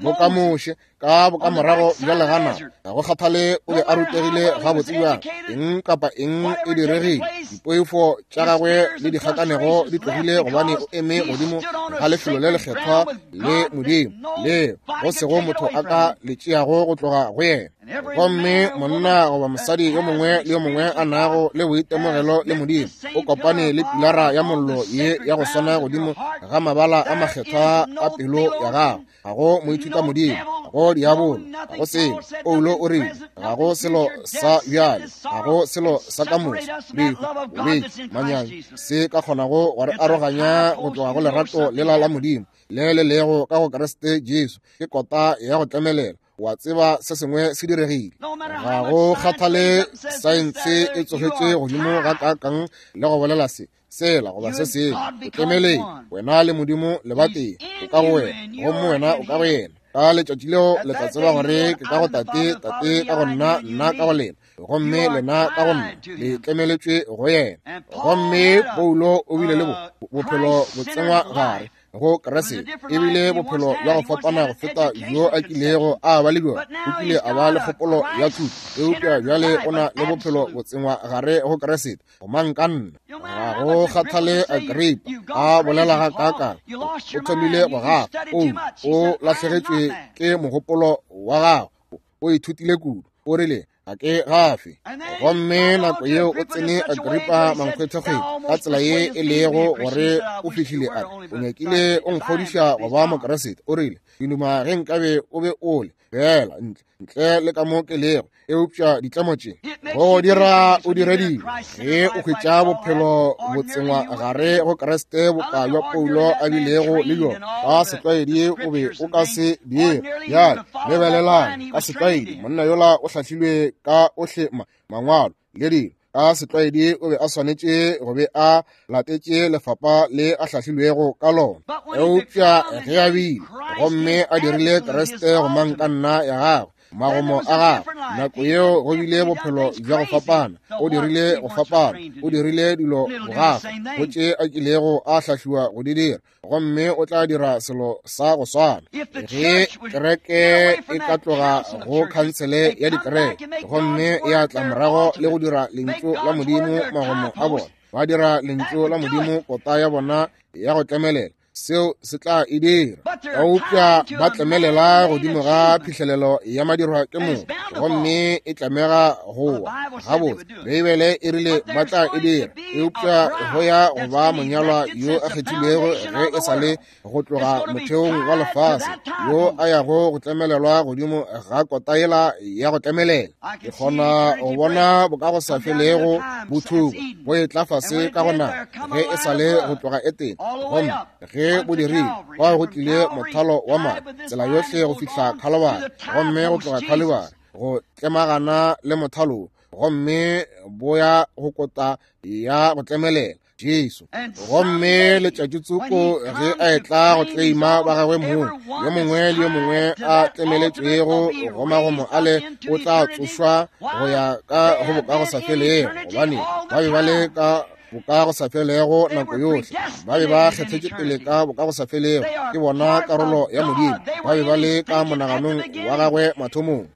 Boka Moshe ka bokamorago bja legana, ga go kgathale o be a rutegile gabotse bjang, eng kapa eng e diregile, dipoifo tša gagwe le dikgakanego di tlogile, gobane o eme godimo ga lefelo le lekgethwa le Modimo le go sego motho a ka le tšeago go tloga go yena. Gomme monna goba mosadi yo mongwe le yo mongwe a nago le boitemogelo le Modimo o kopane le pilara ya mollo ye ya go swana godimo ga mabala a makgethwa a pelo ya gagwe. Ga go moithuta Modimo, ga go diabolo, ga go selo. Paulo o rile ga go selo sa bjale, ga go selo sa ka moso, lehu, bolwetši, manyami, se ka kgonago go re aroganya go tloga go lerato lela la Modimo le le lego ka go Kriste Jesu. Ke kota ya go tlemelela. Wa tseba se sengwe se diregile. Ga go kgathale saense e tsogetše godimo ga kakang le go bolela se sela goba se sengwe, o tlemeleng wena le Modimo le batee, o ka go wena gomme wena o ka go yena. Ka letšatši leo le tla tseba gore ke ka go Tate, Tate ka go nna, nna ka go lena, gomme lena ka go nna, le tlemeletšwe go yena. Gomme Paulo o bile le bophelo bo tsengwa gare go Kriste, e bile bophelo bja go fapana go feta bjo a kilego a ba le bjona. O kile a ba le kgopolo ya thuto, eupša bjale o na le bophelo bo tsengwa gare go Kriste. Go mankanna, ga go kgathale Agripa a bolela ga kakang, o thomile go gafa. Paulo o lahlegetšwe ke mogopolo wa gagwe, o ithutile kudu, o rile ga ke gafe. Gomme nako yeo o tsene Agripa mankgwethekgwedi ka tsela ye e lego gore o fihlile a re, o nyakile o nkgodiša go ba Mokriste. O rile, ke duma ge nkabe o be o le fela ntle ntle le ka mo ke lego, eupša ditlemo tše go dira o dire dilo ge o hwetša bophelo bo tsengwa gare go Kriste boka bja Paulo a bilego le bjona. Ka setlwaedi o be o ka se dire. Bjale lebelelang, ka setlwaedi monna yola o hlahlilwe ka ohle mangwalo le dilo. Ka setlwaedi o be a swanetše go be a latetše lefapa le a hlahlilwego ka lona, eupša ge a bile gomme a dirile Kriste go mankanna ya gagwe, Magomo a gagwe nako yeo go bile bophelo bja go fapana. O dirile go fapana, o dirile dilo bogafa go tše a kilego a hlahliwa go di dira, gomme o tla dira selo sa go swana. Ge kereke e ka tloga go khansele ya dikereke gomme ya tla morago le go dira lentšu la Modimo magomo a bona, ba dira lentšu la Modimo kota ya bona ya go tlemelela, seo se tla e dira. Eupša ba tlemelela godimo ga phihlelelo ya madirwa ke motho, gomme e tlamega go wa. Gabotse, Beibele e rile ba tla e dira, eupša go ya go ba monyalwa yo a kgethilwego ge e sa le go tloga motheong wa lefase, yo a yago go tlemelelwa godimo ga kota yela ya go tlemelela. Ke kgona go bona bokago sa felego bothuba bo etla fase ka go naga ge e sa le go tloga Etene, gomme ge bo dirile kwa go tlile mothalo wa madi tsela yohle go fihla Khalibari, gomme go tloga Khalibari go tlemagana le mothalo, gomme bo ya go kota ya go tlemelela Jesu. Gomme letšatši tsoko ge a etla go tleima ba gagwe mong, yo mongwe le yo mongwe a tlemeletšwego go magomo ale o tla tsošwa go ya ka go bokago sa felego, gobane ba be ba le ka bokago sa felego nako yohle, ba be ba kgethetše pele ka bokago sa felego, ke bona karolo ya Modimo, ba be ba le ka monaganong wa gagwe mathomong.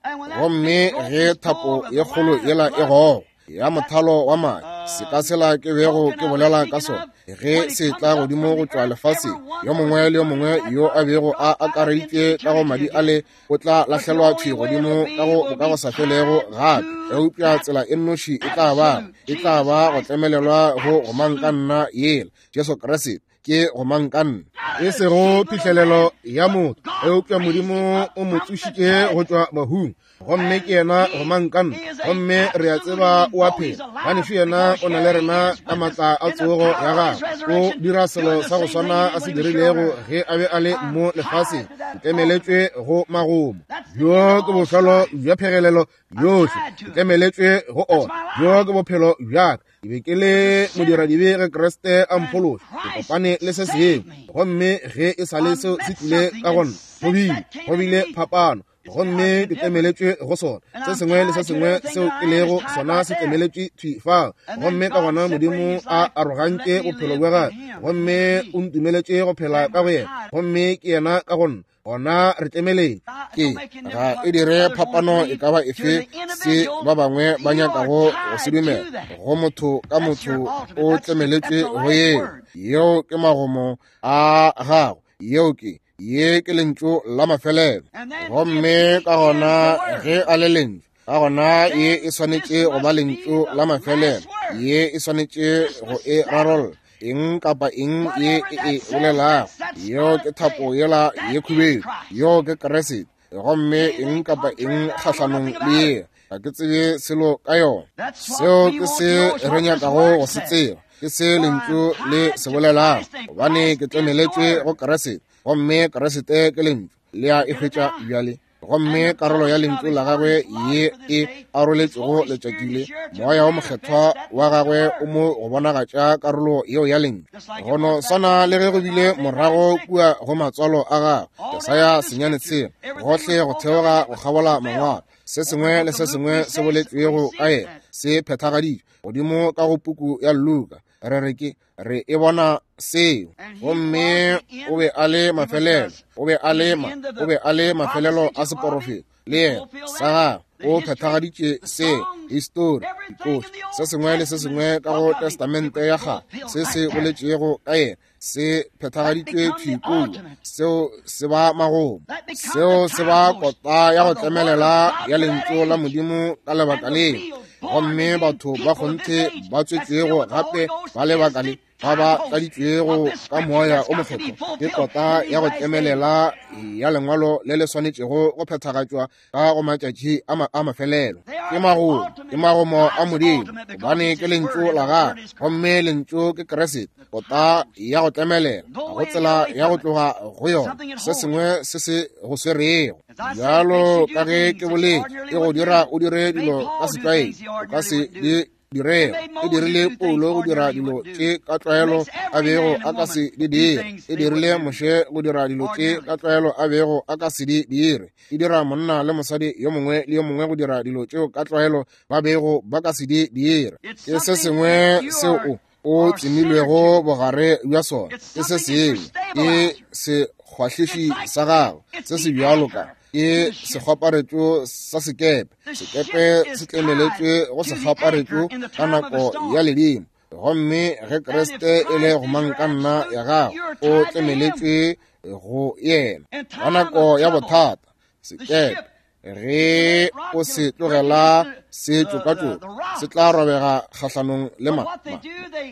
Gomme ge thapo ye kgolo yela e gogo ya mothalo wa madi, seka sela ke bego ke bolela ka sona, ge se tla godimo go tšwa lefaseng, yo mongwe le yo mongwe yo a bego a akareditše ka go madi ale o tla lahlelwa thwi godimo ka go bokago sa felego gape. Eupša tsela e nnoši e tla ba e tla ba go tlemelelwa go gomangkanna yela, Jesu Kriste ke gomangkanna, e sego phihlelelo ya motho, eupša Modimo o mo tsošitše go tšwa bahung, gomme ke yena gomangkanna, gomme re a tseba o a phela. Ganešu yena o na le rena ka matla a tsogo ya gagwe. O dira selo sa go swana a se dirilego ge a be a le mo lefaseng, ke tlemeletšwe go magomo. Bjo ke bofelo bja phegelelo yohle, ke tlemeletšwe go ona. Bjo ke bophelo bjaka. Ke be ke le modiradibe ge Kriste a mphološa, ke kopane le se sengwe, gomme ge e sa le seo se tlile ka go nna, go bile go bile phapano, gomme ke tlemeletšwe go sona. Se sengwe le se sengwe seo ke lego sona se tlemeletšwe thwi fao, gomme ka gona Modimo a arogantše bophelo bja gagwe, gomme o ntumeletše go phela ka go yena, gomme ke yena ka go nna. Gona re tlemeletše. Ke ga e dire phapano e ka ba efe se ba bangwe ba nyakago go se dumela, go motho ka motho o tlemeletšwe go yeo. Yeo ke magomo a gago, yeo ke ye ke lentšu la mafelelo. Gomme ka gona ge a le lentšu, ka gona ye e swanetše go ba lentšu la mafelelo, ye e swanetše go e rarolla. Eng kapa eng ye e e bolelago, yeo ke thapo yela ye khubedu, yeo ke Kriste, gomme eng kapa eng kgahlanong le ye, ga ke tsebe selo ka yona. Seo ke se re nyakago go se tseba, ke se lentšu le se bolelago, gobane ke tlemeletšwe go Kriste, gomme Kriste ke lentšu. Le a e hwetša bjale. Gomme karolo ya lentšu la gagwe ye e aroletšego letšatši le, moya wo mokgethwa wa gagwe o mo go bonagatša karolo yeo ya lentšu, go no swana le ge go bile morago kua go matswalo a gagwe, Jesaya senyane tshela, gohle go theoga go kgabola mangwalo, se sengwe le se sengwe se boletšwego ka yena se phethagaditšwe godimo ka go puku ya Luka. Re re ke re e bona seo. Gomme o be a le mafelelo, o be a le ma, o be a le mafelelo a seporofeto le yena sa gagwe o phethagaditše seo, histori, dikoša, se sengwe le se sengwe ka go Testamente ya kgale se se boletšego ka yena se phethagaditšwe thwi kua. Seo se ba magomo, seo se ba kota ya go tlemelela ya lentšu la Modimo ka lebaka leo. Gomme batho ba kgonthe ba tswetšwego gape ba lebaka le, ba ba tladitšwego ka moya o mokgethwa, ke kota ya go tlemelela ya lengwalo le le swanetšego go phethagatšwa ka go matšatši a, ma, a mafelelo. Ke magomo, ke magomo a Modimo, gobane ke lentšu la gagwe, gomme lentšu ke Kriste, kota ya go tlemelela, ga go tsela ya go tloga go yona, se sengwe se se go swerego. Bjalo ka ge ke boletše, e go dira o dire dilo ka setlwaedi, o ka se di direga. E dirile Paulo go dira dilo tše ka tlwaelo a bego a ka se di dire. E dirile Moshe go dira dilo tše ka tlwaelo a bego a ka se di dire. E dira monna le mosadi yo mongwe le yo mongwe go dira dilo tšeo ka tlwaelo ba bego ba ka se di dire. Ke se sengwe seo o o tsemilwego bogare bja sona. Ke se sengwe, ke sekgwahliši sa gago se se bjalo ka ke sekgwaparetšo sa sekepe. Sekepe se tlemeletšwe go sekgwaparetšo ka nako ya ledimo, gomme ge Kriste e le gomangkanna ya gago, o tlemeletšwe go yena ka nako ya bothata. Sekepe ge o se tlogela se tšokatšoka, se tla robega kgahlanong le ma, ma,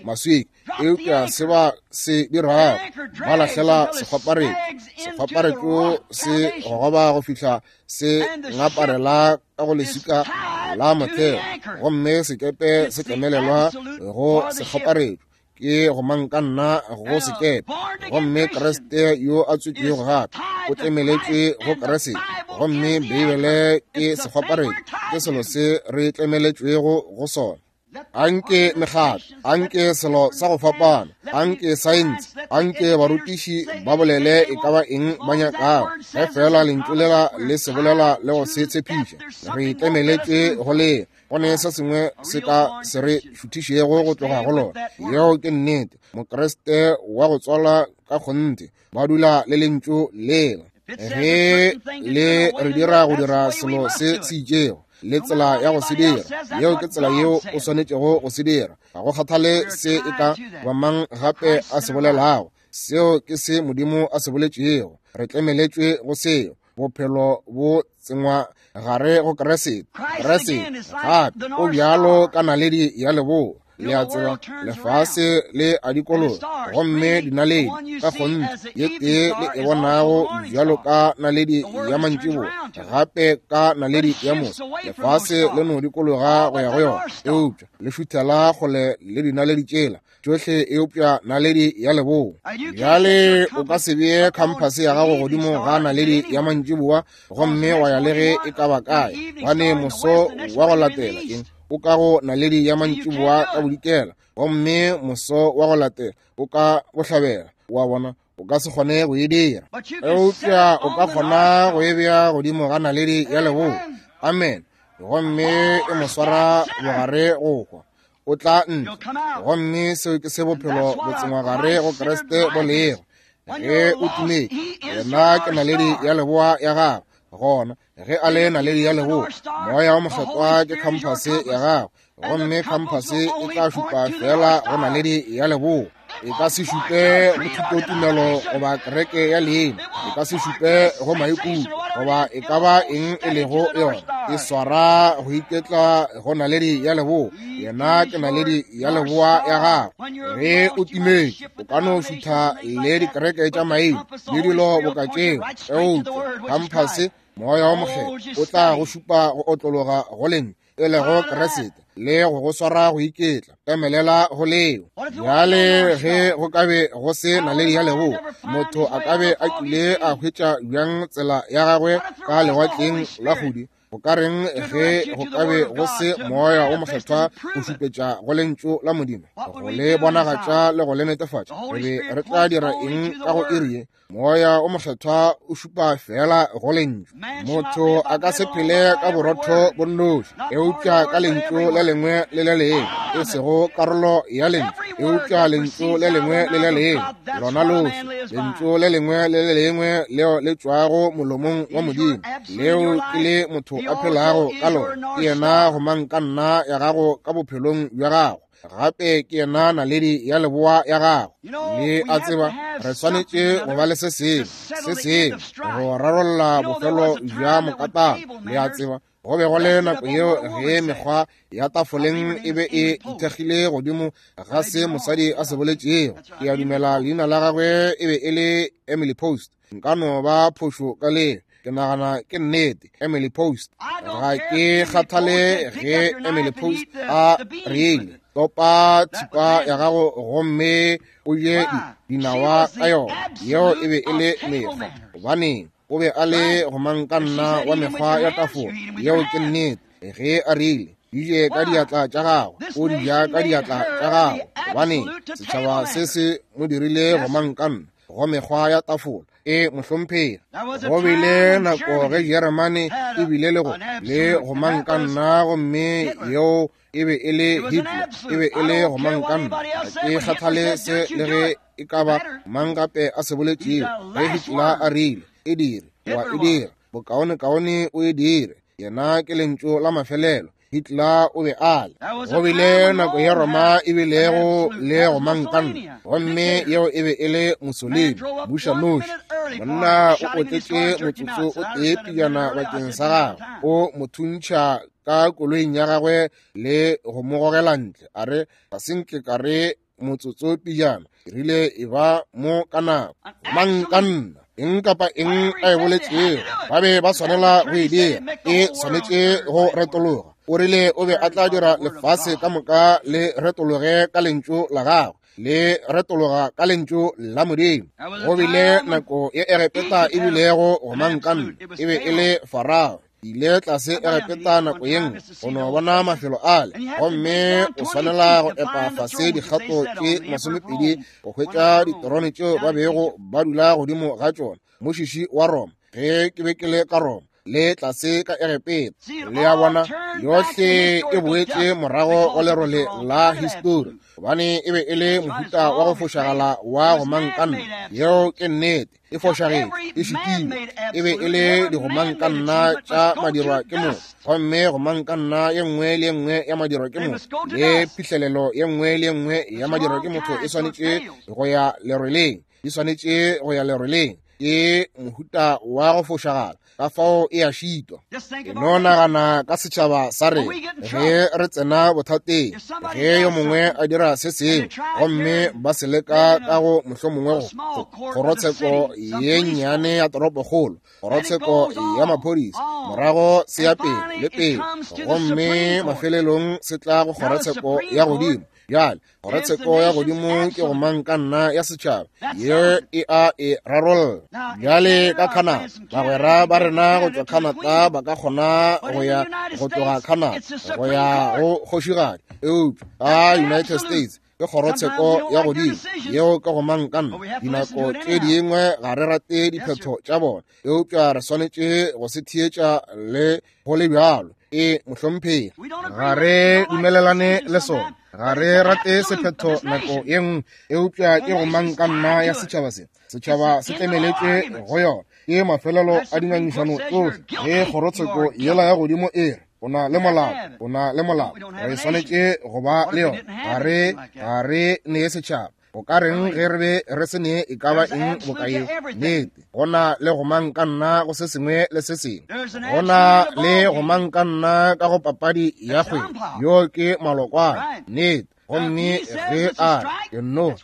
maswika. Eupša se ba se dirago, ba lahlela sekgwaparetšo. Sekgwaparetšo se gogoba go fihla se ngaparela ka go leswika la motheo, gomme sekepe se tlemelelwa go sekgwaparetšo. Ke gomangkanna go sekepe, gomme Kriste yo a tswetšwego gape o tlemeletšwe go Kriste, gomme Beibele ke sekgwaparetšo, ke selo se re tlemeletšwego go sona. Anke mekgatlo, anke selo sa go fapana, anke saense, anke barutiši ba bolele e ka ba eng ba nyakago, ge fela lentšu lela le se bolela le go se tshepiša, re tlemeletšwe go le. Go ne se sengwe se ka se re šuthišego go tloga go lona. Yeo ke nnete. Mokriste wa go tswalwa ka kgonthe ba dula le lentšu lela. Ge le re dira go dira selo se se itšego, le tsela ya go se dira, yeo ke tsela yeo o swanetšego go se dira. Ga go kgathale se e ka ba mang gape a se bolelago, seo ke se Modimo a se boletšego. Re tlemeletšwe go seo. Bophelo bo tsengwa gare go Kriste. Kriste gape o bjalo ka naledi ya leboa. Le a tseba, lefase le a dikologa, gomme dinaledi ka kgonthe ye tee le e bonago bjalo ka naledi ya mantšiboa, gape ka naledi ya moso. Lefase le no dikologa go ya go yona, eupša le šuthela kgole le dinaledi tšela tšohle eupša naledi ya leboa. Bjale o ka se bee khamphase ya gago godimo ga naledi ya mantšiboa gomme wa ya le ge e ka ba kae, gobane moso wa go latela eng o ka go naledi ya mantšiboa ka bodikela, gomme moso wa go latela o ka bohlabela. Wa bona, o ka se kgone go e dira, eupša o ka kgona go e bea godimo ga naledi ya leboa. Amen. Gomme e mo swara bogare go hwa, o tla ntle. Gomme seo ke se bophelo bo tsengwa gare go Kriste bo lego. Ge o timetše, yena ke naledi ya leboa ya gago. Gona ge a le naledi ya leboa, moya wa Mokgethwa ke khamphase ya gago, gomme khamphase e tla šupa fela go naledi ya leboa. E ka se šupe go thutotumelo goba kereke ya leina, e ka se šupe go maikutlo goba e ka ba eng e lego yona. E swara go iketla go naledi ya leboa. Yena ke naledi ya leboa ya gago. Ge o timetše, o ka no šutha le dikereke tša maina le dilo boka tšeo, eupša khamphase, moya wa Mokgethwa, o tla go šupa go otlologa go lentšu e lego Kriste, le go go swara go iketla. Emelela go leo. Bjale ge go ka be go se naledi ya leboa, motho a ka be a kile a hwetša bjang tsela ya gagwe ka lewatleng la kgudi? Go ka reng ge go ka be go se moya o Mokgethwa go šupetša go lentšu la Modimo, go le bonagatša le go le netefatša? Re be re tla dira eng ka go iri ye? Moya o Mokgethwa o šupa fela go lentšu. Motho a ka se phele ka borotho bo nnoši, eupša ka lentšu le lengwe le le lengwe, e sego karolo ya lentšu, eupša lentšu le lengwe le le lengwe, lona lohle, lentšu le lengwe le le lengwe leo le tšwago molomong wa Modimo, leo ke le motho a phelago ka lona. Ke yena gomangkanna ya gago ka bophelong bja gago. Gape ke yena naledi ya leboa ya gago. Le a tseba, re swanetše go ba le se sengwe, se sengwe go rarolla bofelo bja mokatana. Le a tseba, go be go le nako yeo ge mekgwa ya tafoleng e be e ithekgile godimo ga se mosadi a se boletšego. Ke a dumela leina la gagwe e be e le Emily Post. Nka no ba phošo ka leo, ke nagana ke nnete, Emily Post. Ga ke kgathale ge Emily Post a reile, topa thipa ya gago gomme o je dinawa ka yona. Yeo e be e le mekgwa, gobaneng o be a le gomangkanna wa mekgwa ya tafola. Yeo ke nnete. Ge a rile Di je ka diatla tša gago, o di ja ka diatla tša gago. Gobane setšhaba se se mo dirile gomangkanna go mekgwa ya tafola. E mohlomphegi, go bile nako ge Jeremane e bile le go le gomangkanna, gomme yeo e be e le Hitler, e be e le gomangkanna. Ga ke kgathale se le ge e ka ba mang gape a se boletšego. Ge Hitler a rile e dire, wa e dira, bokaonekaone o e dire. Yena ke lentšu la mafelelo. Hitler o be a le. Go bile nako ya Roma e bilego le gomangkanna, gomme yeo e be e le Mussolini, bušanoši. Monna o otletše motsotso o tee pejana bakeng sa gagwe, o mo thuntšha ka koloing ya gagwe le go mo gogela ntle. A re, ga se nke ka re motsotso pejana, ke rile e ba mo ka nako. Gomangkanna, eng kapa eng a e boletšego, ba be ba swanela go e dira, e swanetše go retologa. O rile o be a tla dira lefase ka moka le retologe ka lentšu la gagwe, le retologa ka lentšu la Modimo. Go bile nako ye Egepeta e bilego gomangkanna, e be e le Farao. Ile tlase Egepeta nako ye nngwe go no bona mafelo ale, gomme o swanela go epa fase dikgato tše masomepedi go hwetša diterone tšeo ba bego ba dula godimo ga tšona. Mošiši wa Roma, ge ke be ke le ka Roma le tlase ka Egepeta, le a bona, yohle e boetše morago go lerole la histori, gobane e be e le mohuta wa go fošagala wa gomangkanna. Yeo ke nnete, e fošagetše, e šitilwe. E be e le digomangkanna tša madirwa ke motho, gomme gomangkanna ye nngwe le ye nngwe ya madirwa ke motho le phihlelelo ye nngwe le ye nngwe ya madirwa ke motho e swanetše go ya leroleng, di swanetše go ya leroleng. Ke mohuta wa go fošagala, ka fao e a šitwa. E no nagana ka setšhaba sa rena ge re tsena bothateng, ge yo mongwe a dira se sengwe gomme ba se leka ka go mohlomongwe go kgorotsheko ye nnyane ya toropokgolo, kgorotsheko ya maphodisa, morago se ya pele le pele, gomme mafelelong se tla go kgorotsheko ya godimo. Bjale kgorotsheko ya godimo ke gomangkanna ya setšhaba ye e a e rarolla. Bjale ka Canada, bagwera ba rena go tšwa Canada ba ka kgona go ya go tloga Canada go ya go kgošigadi, eupša ka United States ke kgorotsheko ya godimo yeo ke gomangkanna. Dinako tše dingwe ga re rate diphetho tša bona, eupša re swanetše go se theetša le go le bjalo. E mohlomphegi, ga re dumelelane le sona, ga re rate sephetho nako ye nngwe, eupša ke gomangkanna ya setšhaba se. Setšhaba se tlemeletše go yona. Ke mafelelo a dingangišano tsohle. Ge kgorotsheko yela ya godimo e re o na le molato, o na le molato, re swanetše go ba le yona. Ga re ga re nee setšhaba. O ka reng ge re be re se nee e ka ba eng boka yeo? Nnete, go na le gomangkanna go se sengwe le se sengwe. Go na le gomangkanna ka go papadi ya kgwele. Yo ke malokwane. Nnete, gomme ge a re no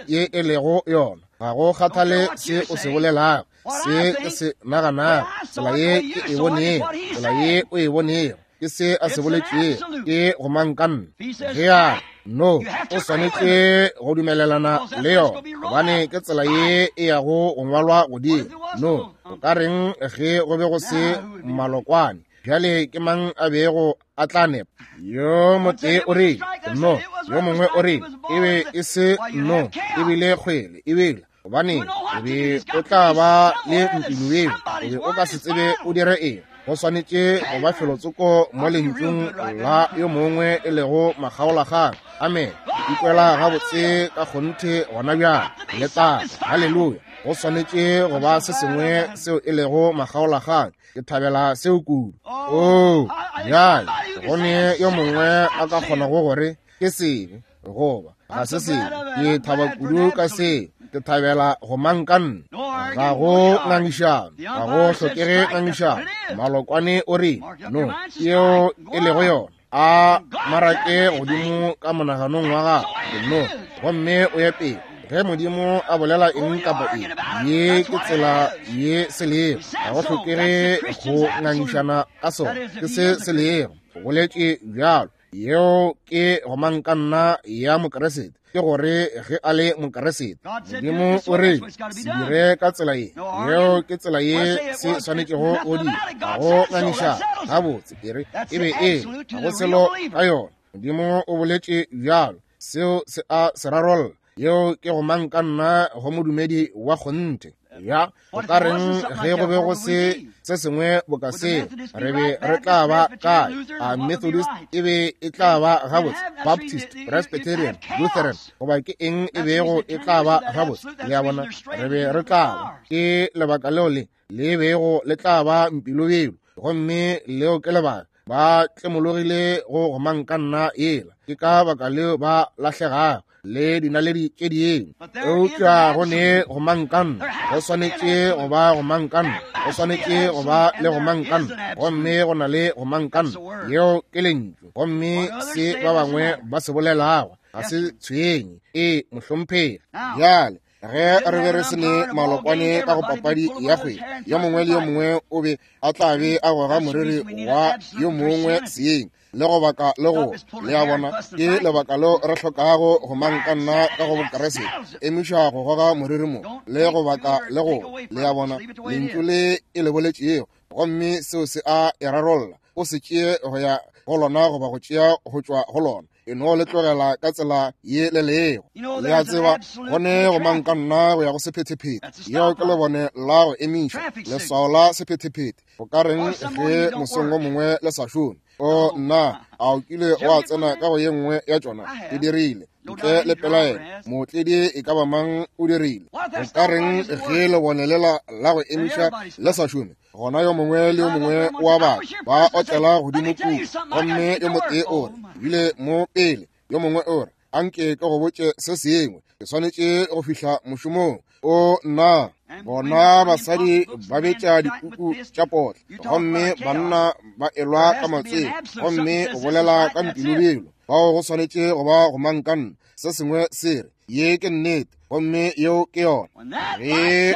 ye e lego yona, ga go kgathale se o se bolelago, se ke se naganago, tsela ye ke e bonego, tsela ye o e bonego, ke se a se boletšego, ke gomangkanna. Ge a no, o swanetše go dumelelana le yona, gobane ke tsela ye e yago go ngwalwa godimo. No, o ka reng ge go be go se malokwane? Bjale ke mang a bego a tla nepa? Yo motee o rile no, yo mongwe o rile e be e se no, e bile kgwele, e bile gobane o be o tla ba le mpinu eo, o be o ka se tsebe o dire eng. Go swanetše go ba felotsoko mo lentšung la yo mongwe e lego makgaolakgang. Amen. Ikwela gabotse ka kgonthe gona bjale. Letago, haleluya. Go swanetše go ba se sengwe seo e lego makgaolakgang. Ke thabela seo kudu. Oo, bjale go ne yo mongwe a ka kgonago gore ke sebe goba ga se sebe. Ke thaba kudu ka seo. Ke thabela gomangkanna. Ga go ngangišano, ga go hlokege ngangišano. Malokwane o re no, yeo e lego yona. A marake godimo ka monaganong wa gago no, gomme o ye pele. Ge Modimo a bolela eng kapa eng, ye ke tsela ye se lego. Ga go hlokege go ngangišana ka sona, ke se se lego. O boletše bjalo, Yeo ke gomangkanna ya Mokeresete, ke gore ge a le Mokeresete. Modimo o re se dire ka tsela ye, yeo ke tsela ye se swanetšego go dira. Ga go ngangišana gabotse, e re e be e ga go selo ka yona. Modimo o boletše bjalo, seo se a se rarolla. Yeo ke gomangkanna go modumedi wa kgonthe. Ya, o ka reng ge go be go se se sengwe boka seo, re be re tla ba kae? A Methodist e be e tla ba gabotse, Baptist, Presbyterian, Lutheran, goba ke eng e bego e tla ba gabotse? Le a bona, re be re tla ba. Ke lebaka leo le le bego le tla ba mpilobelo, gomme leo ke lebaka ba tlemologile go gomangkanna yela. Ke ka baka leo ba lahlegago le dinaledi tše dingwe. Eupša go ne gomangkanna, go swanetše go ba gomangkanna, go swanetše go ba le gomangkanna, gomme go na le gomangkanna. Yeo ke lentšu, gomme se ba bangwe ba se bolelago ga se tshwenye. E mohlomphegi. Bjale ge re be re se ne malokwane ka go papadi ya kgwele, yo mongwe le yo mongwe o be a tla be a goga moriri wa yo mongwe seeng le go baka le go. Le a bona, ke lebaka leo re hlokago gomangkanna ka go Bokeresete, emiša go goga moriri mo le go baka le go. Le a bona, lentšu le e le boletšego, gomme seo se a e rarolla. O se tšee go ya go lona goba go tšea go tšwa go lona, e no le tlogela ka tsela ye le lego. Le a tseba, go ne gomangkanna go ya go sephethephethe. Yeo ke lebone la go emiša, leswao la sephethephethe. Go ka reng ge mosong o mongwe le sa šome? O nna, a o kile wa tsena ka go ye nngwe ya tšona? E dirile ntle le pelaelo. Mootledi e ka ba mang o dirile. Go ka reng ge lebone lela la go emiša le sa šome? Gona yo mongwe le yo mongwe wa batho ba otlela godimo kudu, gomme yo motee o re ebile mo pele, yo mongwe o re anke ke go botše se sengwe, ke swanetše go fihla mošomong. O nna, bona basadi ba betša dipuku tša potla, gomme banna ba elwa ka matswele, gomme o bolela ka mpilobelo. Bao go swanetše go ba gomangkanna. Se sengwe se re ye ke nnete, gomme yeo ke yona. Ge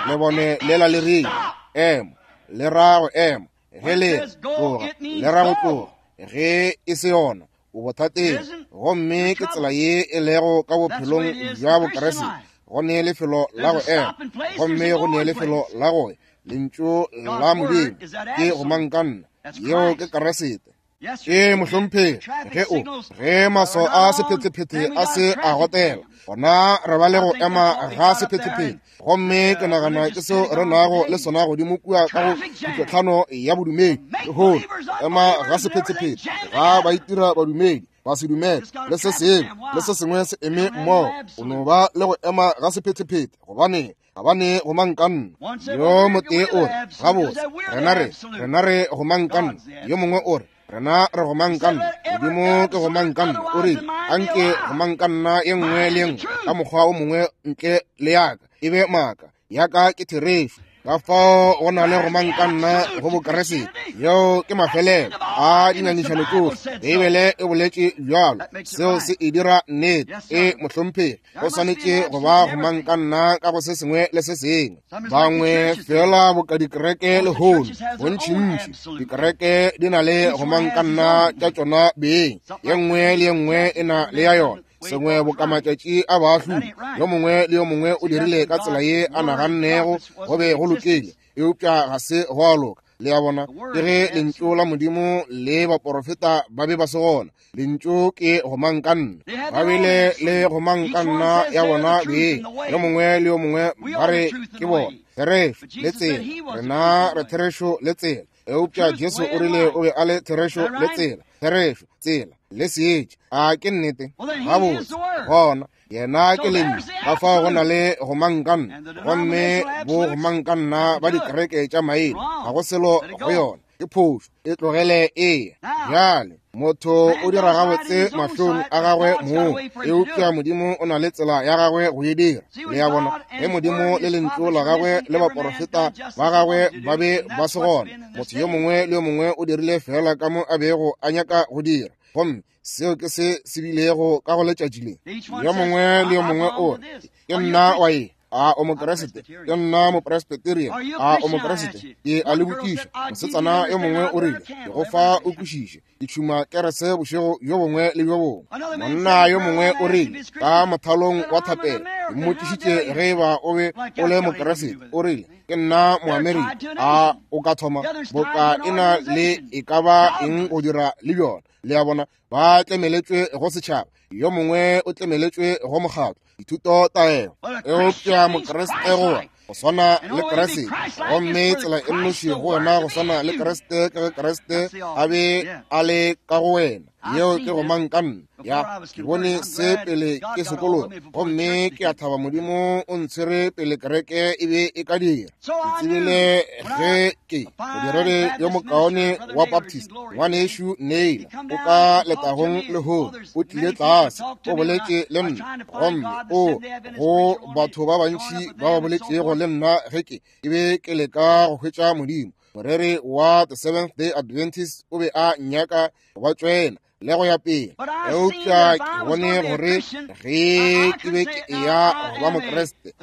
lebone lela le rile ema, le ra go ema. Ge le tloga, le ra go tloga. Ge e se yona, o bothateng. Gomme ke tsela ye e lego ka bophelong bja Bokeresete. Go ne lefelo la go ema, gomme go ne lefelo la go ya. Lentšu la Modimo ke gomangkanna, yeo ke Keresete. E mohlomphegi, ge o ge maswao a sephethephethe a se a gotela, gona re ba le go ema ga sephethephethe. Gomme ke nagana ke seo re nago le sona godimo kua ka go kutlotlhano ya bodumedi lehono, ema ga sephethephethe ga ba itira badumedi ba se dumele le se sengwe le se sengwe se eme mmogo. O no ba le go ema ga sephethephethe, gobane ga ba ne gomangkanna. Yo motee o re gabotse rena re rena re gomangkanna, yo mongwe o re rena re gomangkanna. Modimo ke gomangkanna. O rile anke gomangkanna ye nngwe le ye nngwe ka mokgwa o mongwe ntle le yaka e be maaka, yaka ke therešo. Ka fao go na le gomangkanna go Bokeresete. Yeo ke mafelelo a dingangišano tšohle. Beibele e boletše bjalo, seo se e dira nnete. E mohlomphegi, go swanetše go ba gomangkanna ka go se sengwe le se sengwe. Bangwe fela boka dikereke lehono, bontšintši dikereke di na le gomangkanna tša tšona beng, ye nngwe le ye nngwe e na le ya yona. Sengwe boka matšatši a baahlodi, yo mongwe le yo mongwe o dirile ka tsela ye a nagannego go be go lokile, eupša ga se go a loka. Le a bona, ke ge lentšu la Modimo le baporofeta ba be ba se gona. Lentšu ke gomangkanna, ba bile le gomangkanna ya bona beng, yo mongwe le yo mongwe ba re ke bona therešo le tsela, rena re therešo le tsela. Eupša Jesu o rile o be a le therešo le tsela, therešo, tsela le seetša. A ke nnete? Gabotse, gona yena ke lentšu. Ka fao go na le gomangkanna, gomme bo gomangkanna ba dikereke tša maina ga go selo go yona, ke phošo, e tlogele e. Bjale motho o dira gabotse mahlong a gagwe mong, eupša Modimo o na le tsela ya gagwe go e dira. Le a bona, ge Modimo le lentšu la gagwe le baporofeta ba gagwe ba be ba se gona, motho yo mongwe le yo mongwe o dirile fela ka mo a bego a nyaka go dira, gomme seo ke se se bilego ka go letšatši le. Yo mongwe le yo mongwe o re ke nna wa e, A o Mokriste? Ke nna Mopresbyterian. A o Mokriste? Ke a le botšiša. Mosetsana yo mongwe o rile, ke go fa o kwešiše, ke tšhuma kerese bošego bjo bongwe le bjo bongwe. Monna yo mongwe o rile, ka mothalong wa thapelo, ke mmotšišitše ge eba o be o le Mokriste. O rile, ke nna Moamerika. A o ka thoma boka e na le e ka ba eng go dira le bjona? Le a bona, ba tlemeletšwe go setšhaba, yo mongwe o tlemeletšwe go mokgatlo, dithuto taelo. Eupša Mokriste go go swana le Kriste, gomme tsela e nnoši go wena go swana le Kriste ke ge Kriste a be a le ka go wena. Yeo ke go mang ka nna. Ya, ke bone se pele ke sekolo, gomme ke a thaba Modimo o ntshwere pele kereke e be e ka dira. Ke tsebile ge ke modiredi yo mokaone wa Baptist, ngwanešu Neil, o ka letagong lehono, o tlile tlase, o boletše le nna, gomme o go batho ba bantši ba ba boletšego le nna ge ke ke be ke leka go hwetša Modimo. Moreri wa The Seventh Day Adventist o be a nyaka go ba tšwena le go ya pele. Eupša ke bone gore ge ke be ke eya go ba Mokriste,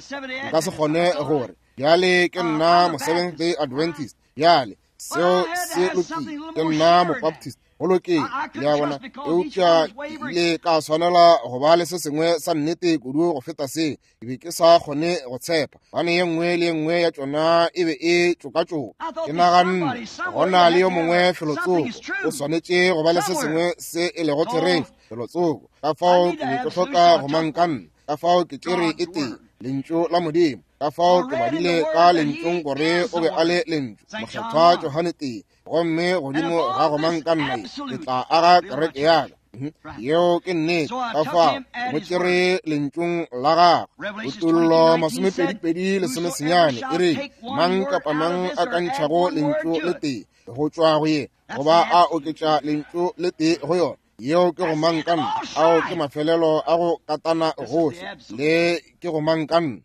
nka se kgone gore bjale ke nna mo Seventh Day Adventist, bjale seo se lokile, ke nna Mobaptist, go lokile, le a bona. Eupša ke ile ka swanela go ba le se sengwe sa nnete kudu go feta se. Ke be ke sa kgone go tshepa, gobane ye nngwe le ye nngwe ya tšona e be e tšokatšoka. Ke naganne go na le yo mongwe felotsoko, o swanetše go ba le se sengwe se e lego therešo felotsoko. Ka fao ke be ke hloka go mang ka nna, ka fao ke tšere e tee, lentšu la Modimo. Ka fao ke badile ka lentšung gore o be a le lentšu, Mokgethwa Johane tee, gomme godimo ga go mang ka nna ke tla aga kereke ya ka. Yeo ke nnete. Ka fao mo tšere lentšung la gagwe. Kutollo masomepedipedi lesomesenyane e re, mang kapa mang a ka ntšhago lentšu le tee go tšwa go ye, goba a oketša lentšu le tee go yona, yeo ke go mang ka nna. Ao ke mafelelo a go katana gohle, le ke go mang ka nna.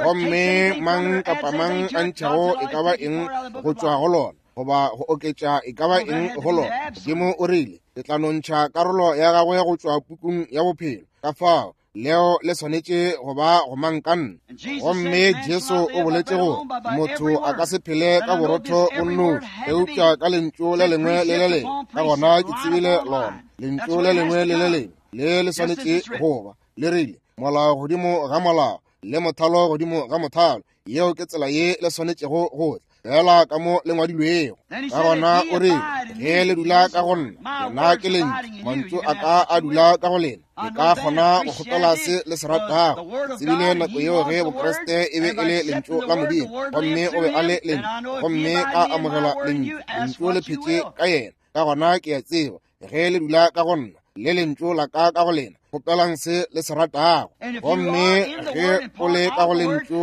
Gomme mang kapa mang a ntšhago e ka ba eng go tšwa go lona, goba go oketša e ka ba eng go lona, Modimo o rile, ke tla nontšha karolo ya gagwe go tšwa pukung ya bophelo. Ka fao leo le swanetše go ba go mang ka nna. Gomme Jesu o boletše gore motho a ka se phele ka borotho bo nnoši, eupša ka lentšu le lengwe le le lengwe. Ka gona ke tsebile lona lentšu le lengwe le le lengwe le le swanetše go ba le rile, molao godimo ga molao, le mothalo godimo ga mothalo. Yeo ke tsela ye le swanetšego go tla, fela ka mo le ngwadilwego. Ka gona o re, ge le dula ka go nna, lena ke lentšu, mantšu a ka a dula ka go lena, le ka kgona go kgopela se le se ratago. Tsebile nako yeo ge Bokriste e be e le lentšu la Modimo, gomme o be a le lentšu, gomme ka amogela lentšu, lentšu le phetše ka yena. Ka gona ke a tseba ge le dula ka go nna, le lentšu la ka ka go lena, kgopelang se le se ratago. Gomme ge o le ka go lentšu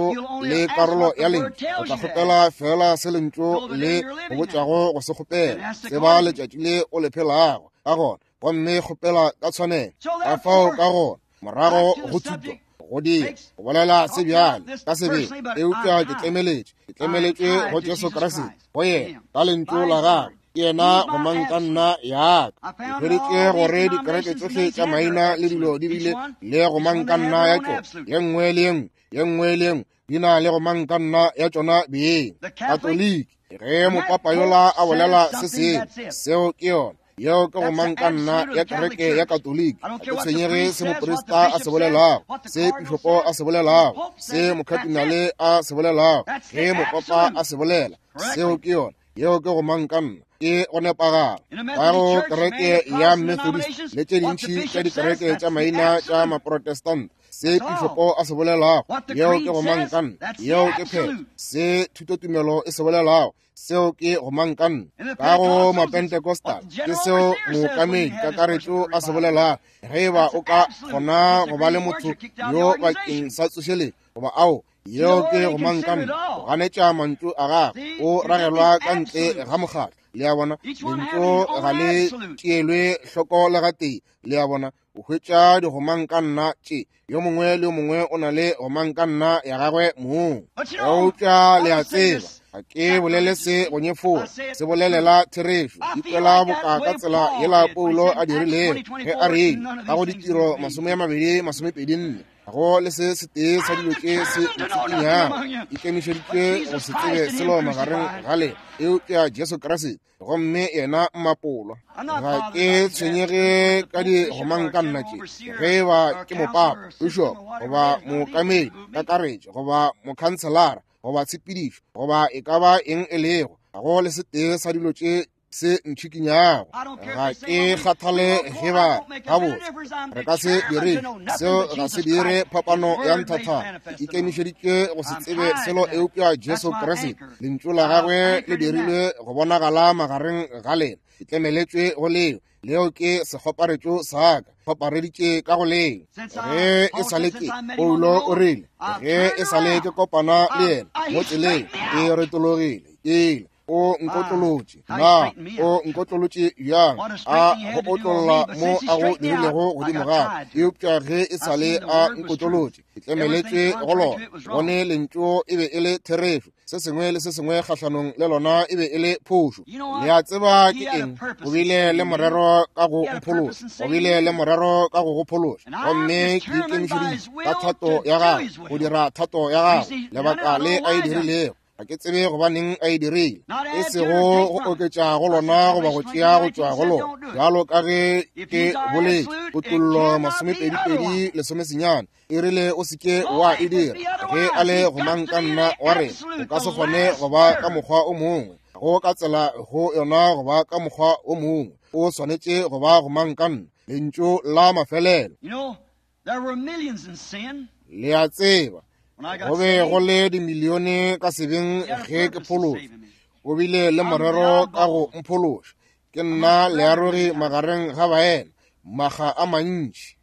le karolo ya lentšu, o tla kgopela fela se lentšu le go botšago go se kgopela. Tseba letšatši le o le phelago ka gona, gomme kgopela ka tshwanelo. Ka fao ka gona morago go thuto go dira go bolela se bjale ka sebele, eupša ke tlemeletše, ke tlemeletšwe go Jesu Kriste, go yena ka lentšu la gagwe. Ke yena go mang ka nna ya ka. Ke hweditše gore dikereke tsohle tša maina le dilo di bile le go mang ka nna ya tšona, ye nngwe le ye nngwe, ye nngwe le ye nngwe di na le go mang ka nna ya tšona beng. Katoliki, ge mopapa yola a bolela se sengwe, seo ke yona. Yeo ke go mang ka nna ya kereke ya Katoliki. Ga ke tshwenyege se moprista a se bolelago, se pišopo a se bolelago, se mokhatinale a se bolelago, ge mopapa a se bolela, seo ke yona. Yeo ke go mang ka nna, ke go nepagala. Ka go kereke ya Methodist le tše dintši tša dikereke tša maina tša Maprotestant, se pišopo a se bolelago, yeo ke go mang ka nna, yeo ke phetho. Se thutotumelo e se bolelago, seo ke go mang ka nna. Ka go Mapentecostal, ke seo mookamedi kakaretšo a se bolelago. Ge eba o ka kgona go ba le motho yo bakeng sa tsošeletšo, goba ao, yeo ke go mang ka nna, go ganetša mantšu a gagwe, o ragelwa ka ntle ga mokgatlo. Le a bona, lentšu ga le tšeelwe hloko le gatee. Le a bona, o hwetša digomang ka nna tše, yo mongwe le yo mongwe o na le gomang ka nna ya gagwe mong. Eupša le a tseba, ga ke bolele se go nyefola, se bolelela therešo. Ikwela boka ka tsela yela Paulo a dirilego ge a rile ka go Ditiro masome a mabedi masomepedi nne, Go le se setee sa dilo tše se ntsikinyago. Ikemišeditše go se tsebe selo magareng ga lena eupša Jesu Kriste, gomme yena mmapolwa. Ga ke tshwenyege ka digomankanna tše, ge e ba ke mopapa, bishop, goba mookamedi kakaretšo, goba mokhanselara, goba tshepedišo, goba e ka ba eng e lego. Ga go le setee sa dilo tše se ntšhikinyago. Ga ke kgathale ge ba gabotse re ka se dire seo, ga se dire phapano ya nthathana. Ke ikemišeditše go se tsebe selo eupša Jesu Kriste. Lentšu la gagwe le dirilwe go bonagala magareng ga lena. Ke tlemeletšwe go leo. Leo ke sekgoparetšo sa ka, kgopareditše ka go leo. Ge e sa le ke Paulo o rile, ge e sa le ke kopana le yena mo tseleng, ke retologile, ke ile. O nkotlolotše. Na o nkotlolotše bjang? A go otlolla mo a go dirilego godimo ga. Eupša ge e sa le a nkotlolotše, ke tlemeletšwe go lona. Bone lentšu e be e le therešo. Se sengwe le se sengwe kgahlanong le lona e be e le phošo. Le a tseba ke eng? O bile le morero ka go mphološa. O bile le morero ka go go phološa. Gomme ke ikemišeditše ka thato ya gagwe go dira thato ya gagwe, lebaka le a e dirilego. Ga ke tsebe gobaneng a e dirile, e sego go oketša go lona goba go tšea go tšwa go lona. Bjalo ka ge ke boletše, Kutollo masomepedi-pedi lesomesenyane e rile o se ke wa e dira. Ge a le gomangkanna wa rena, o ka se kgone go ba ka mokgwa o mongwe, go ka tsela go yona go ba ka mokgwa o mongwe. O swanetše go ba gomangkanna, lentšu la mafelelo. Le a tseba, go be go le dimilione ka sebeng ge ke phološwa. O bile le morero ka go mphološa. Ke nna learogi magareng ga baena, maga a mantši.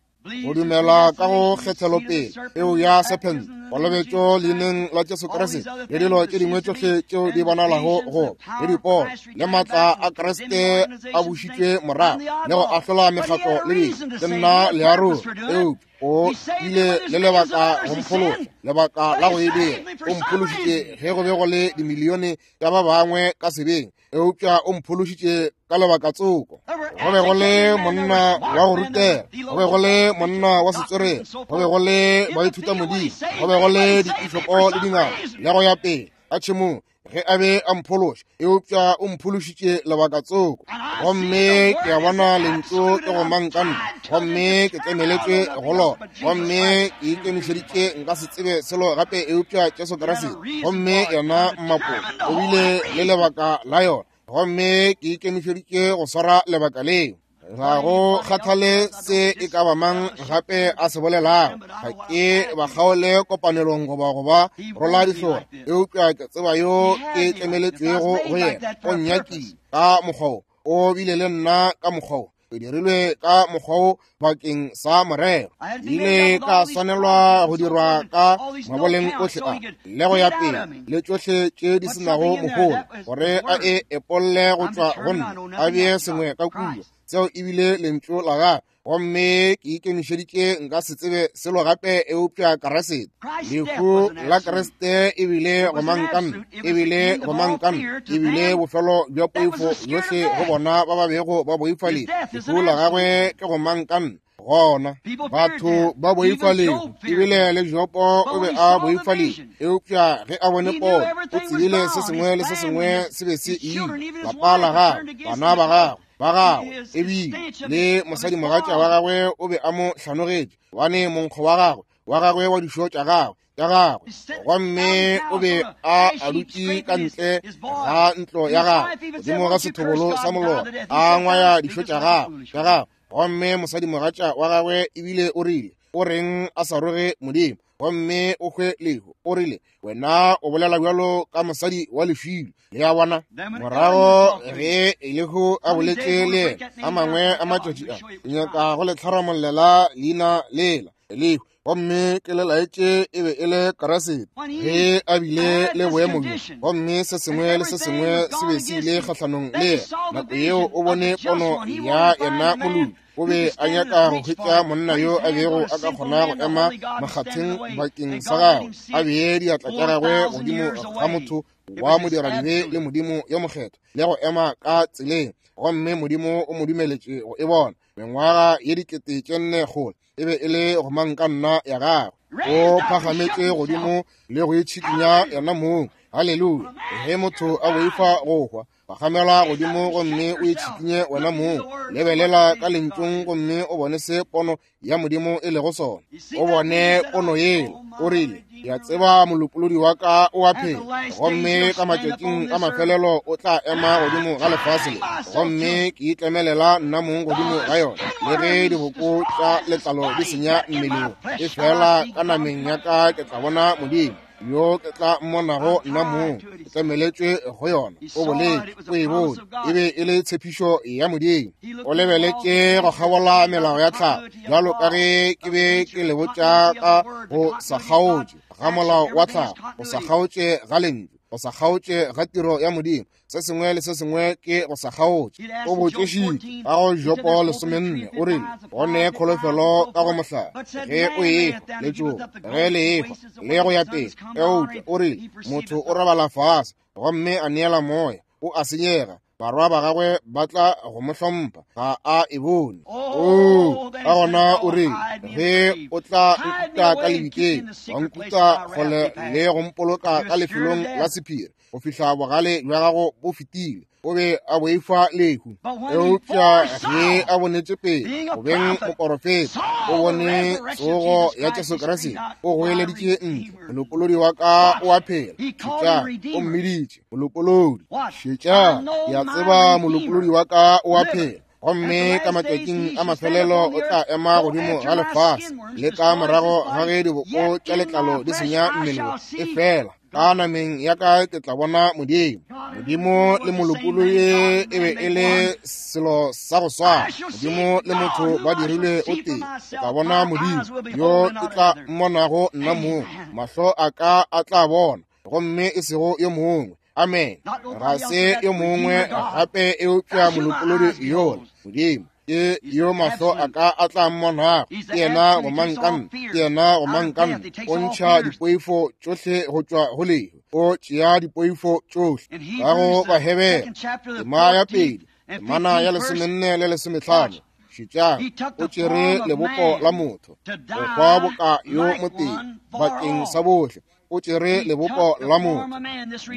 Go dumela ka go kgethelopele peo ya sephente, kolobetšo leineng la Jesu Kriste, le dilo tše dingwe tšohle tšeo di bonalago go le dipono le maatla a Kriste a bušitšwe morago le go ahlola mekgatlo le dilo. Ke nna learogi, eupša o ile le lebaka go mphološa, lebaka la go e dira. O mphološitše ge go be go le dimilione tša ba bangwe ka sebeng, eupša o mphološitše ka lebaka tsoko. Go be go le monna wa go rutega, go be go le monna wa setswerere, go be go le baithutamodimo, go be go le dipišopo le dingaka le go ya pele ka tšhemong ge a be a mphološa, eupša o mphološitše lebaka tsoko. Gomme ke a bona lentšu ke gomangkanna, gomme ke tlemeletšwe go lona, gomme ke ikemišeditše nka se tsebe selo gape eupša Jesu Kriste. Gomme yena mmapo o bile le lebaka la yona, gomme ke ikemišeditše go swara lebaka leo. Ga go kgathale se e ka ba mang gape a se bolelago, ga ke ba kgaole kopanelong goba go ba rola dihlora, eupša ke tseba yo ke tlemeletšwego go yena. O nnyakile ka mokgwa wo, o bile le nna ka mokgwa wo, ke dirilwe ka mokgwa wo bakeng sa morero. Ile ka swanelwa go dirwa ka maboleng ohle a le go ya pele le tšohle tše di senago mohola, gore a e epolle go tšwa go nna, a bee sengwe ka kua. Seo ebile lentšu la gagwe, gomme ke ikemišeditše nka se tsebe selo gape eupša Kriste. Lehu la Kriste ebile gomangkanna, ebile gomangkanna, ebile bofelo bja poifo yohle go bona ba ba bego ba boifa lehu. Lehu la gagwe ke gomangkanna. Gona batho ba boifa lehu, ebile le Jopo o be a boifa lehu, eupša ge a bone pono, o tsebile se sengwe le se sengwe se be se ile. Lapa la gagwe, bana ba gagwe ba gagwe, ebile le mosadimogatša wa gagwe o be a mo hlanogetše, gobane monkgo wa gagwe wa gagwe wa dišo tša gagwe tša gagwe. Gomme o be a a dutše ka ntle ga ntlo ya gagwe godimo ga sethobolo sa molora, a ngwaya dišo tša gagwe tša gagwe. Gomme mosadimogatša wa gagwe ebile o rile, o reng a sa roge Modimo gomme o hwe lehu? O rile, wena o bolela bjalo ka mosadi wa lefilo. Le a bona? Morago ge Elihu a boletše le yena a mangwe a matšatši a, ke nyaka go le tlharamollela leina lela Elihu, gomme ke le laetše e be e le Kriste ge a bile le boemo bjo, gomme se sengwe le se sengwe se be se ile kgahlanong le yena. Nako yeo o bone pono ya yena moloki. O be a nyaka go hwetša monna yo a bego a ka kgona go ema makgatheng bakeng sa gagwe, a bee diatla tša gagwe godimo ga motho wa modiradibe le Modimo yo mokgethwa, le go ema ka tseleng. Gomme Modimo o mo dumeletše go e bona. Mengwaga ye dikete tše nne kgole e be e le go manka nna ya gagwe. O phagametše godimo le go itšhikinya yena mong. Haleluya! Ge motho a boifa go hwa, phagamela godimo gomme o itšhikinye wena mong. Lebelela ka lentšung gomme o bone se pono ya Modimo e lego sona. O bone pono yela. O rile, ke a tseba molopolodi wa ka o a phela, gomme ka matšatšing a mafelelo o tla ema godimo ga lefase le, gomme ke itlemelela nna mong godimo ga yona. Le ge diboko tša letlalo di senya mmeleng, e fela ka nameng ya ka ke tla bona Modimo yo ke tla mmonago nna mong. Ke tlemeletšwe go yona. O boletše, o e bone, e be e le tshepišo ya Modimo. O lebeletše go kgabola melao ya tlhago, bjalo ka ge ke be ke le botša ka go sa kgaotše ga molao wa tlhago, go sa kgaotše ga lentšu, go sa kgaotše ga tiro ya Modimo. Se sengwe le se sengwe ke go sa kgaotše. O botšešitše ka go Jopo lesomenne, o rile go ne kholofelo ka go mohlare ge o efa letšoba, ge le efa le go ya pele. Eupša o rile motho o robala fase gomme a neela moya, o a senyega, barwa ba gagwe ba tla go mo hlompha, ga a e bone. Oo, ka gona o rile ge o tla nkuta ka lebitleng, wa nkuta kgole le go mpoloka ka lefelong la sephiri go fihla bogale bja gago bo fetile. O be a boifa lehu. Eupša ge a bonetše pele go beng moporofeta, o bone tsogo ya Jesu Kriste, o goeleditše ntle, molopolodi wa ka o a phela. Šetša, o mmiditše molopolodi. Šetša, ke a tseba molopolodi wa ka o a phela, gomme ka matšatšing a mafelelo o tla ema godimo ga lefase le ka morago ga ge diboko tša letlalo di senya mmele wo, e fela ka nameng ya ka ke tla bona Modimo. Modimo le molopolodi e be e le selo sa go swana. Modimo le motho ba dirilwe o tee. Ke tla bona Modimo yo ke tla mmonago nna mong. Mahlo a ka a tla bona, gomme e sego yo mongwe. Amen. Ga se yo mongwe gape eupša molopolodi yola, Modimo. Ke yo mahlo a ka a tla mmonago. Ke yena gomangkanna, ke yena gomangkanna. O ntšha dipoifo tšohle go tšwa go lehu. O tšea dipoifo tšohle. Ka go Bahebere, tema ya pedi, temana ya lesomenne le lesomehlano. Šetšang, o tšere lebopo la motho go hwa boka yo motee bakeng sa bohle. O tšere lebopo la motho.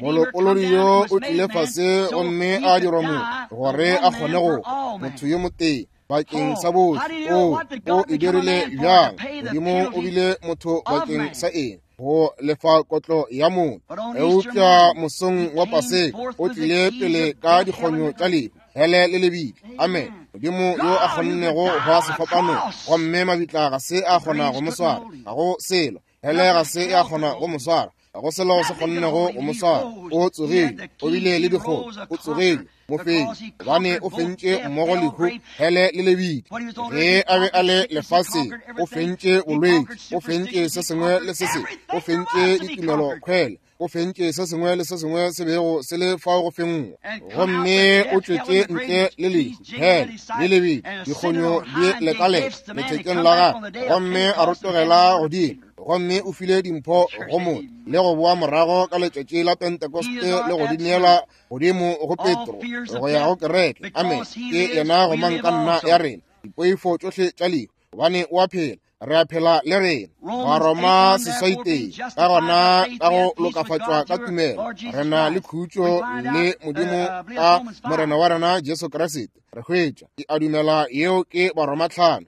Molopolodi yo o tlile fase gomme a dirwa motho gore a kgone go hwa, motho yo motee bakeng sa bohle. O o e dirile bjang? Modimo o bile motho bakeng sa eng? Go lefa kotlo ya motho. Eupša mosong wa Paseka o tlile pele ka dikgonyo tša lehu, hele le lebitla. Amen. Modimo yo a kgonnego go hwa sefapanong, gomme mabitla ga se a kgona go mo swara, ga go selo. Hele ga se a kgona go mo swara, ga go selo se kgonnego go mo swara. O tsogile, o bile le dikgomo, o tsogile, mofenyi, gobane o fentše mmogo lehu, hele le lebitla. Ge a be a le lefaseng, o fentše bolwetši, o fentše se sengwe le se sengwe, o fentše ditumelo khwele, o fentše se sengwe le se sengwe se bego se le fao go fenngwa. Gomme o tšwetše ntle le lehu, hele le lebitla, dikgonyo di lekaleka lethekeng la gagwe, gomme a rotogela godimo. Gomme o file dimpho go motho le go boa morago ka letšatši la Pentekoste le go di neela godimo go Petro go ya go kereke. Amen. Ke yena gomangkanna ya rena, dipoifo tšohle tša lehu, gobane o a phela, re a phela le rena. Baroma seswai tee. Ka gona ka go lokafatšwa ka tumelo re na le khutšo le Modimo ka Morena wa rena Jesu Kriste. Re hwetša, ke a dumela yeo ke Baroma tlhano.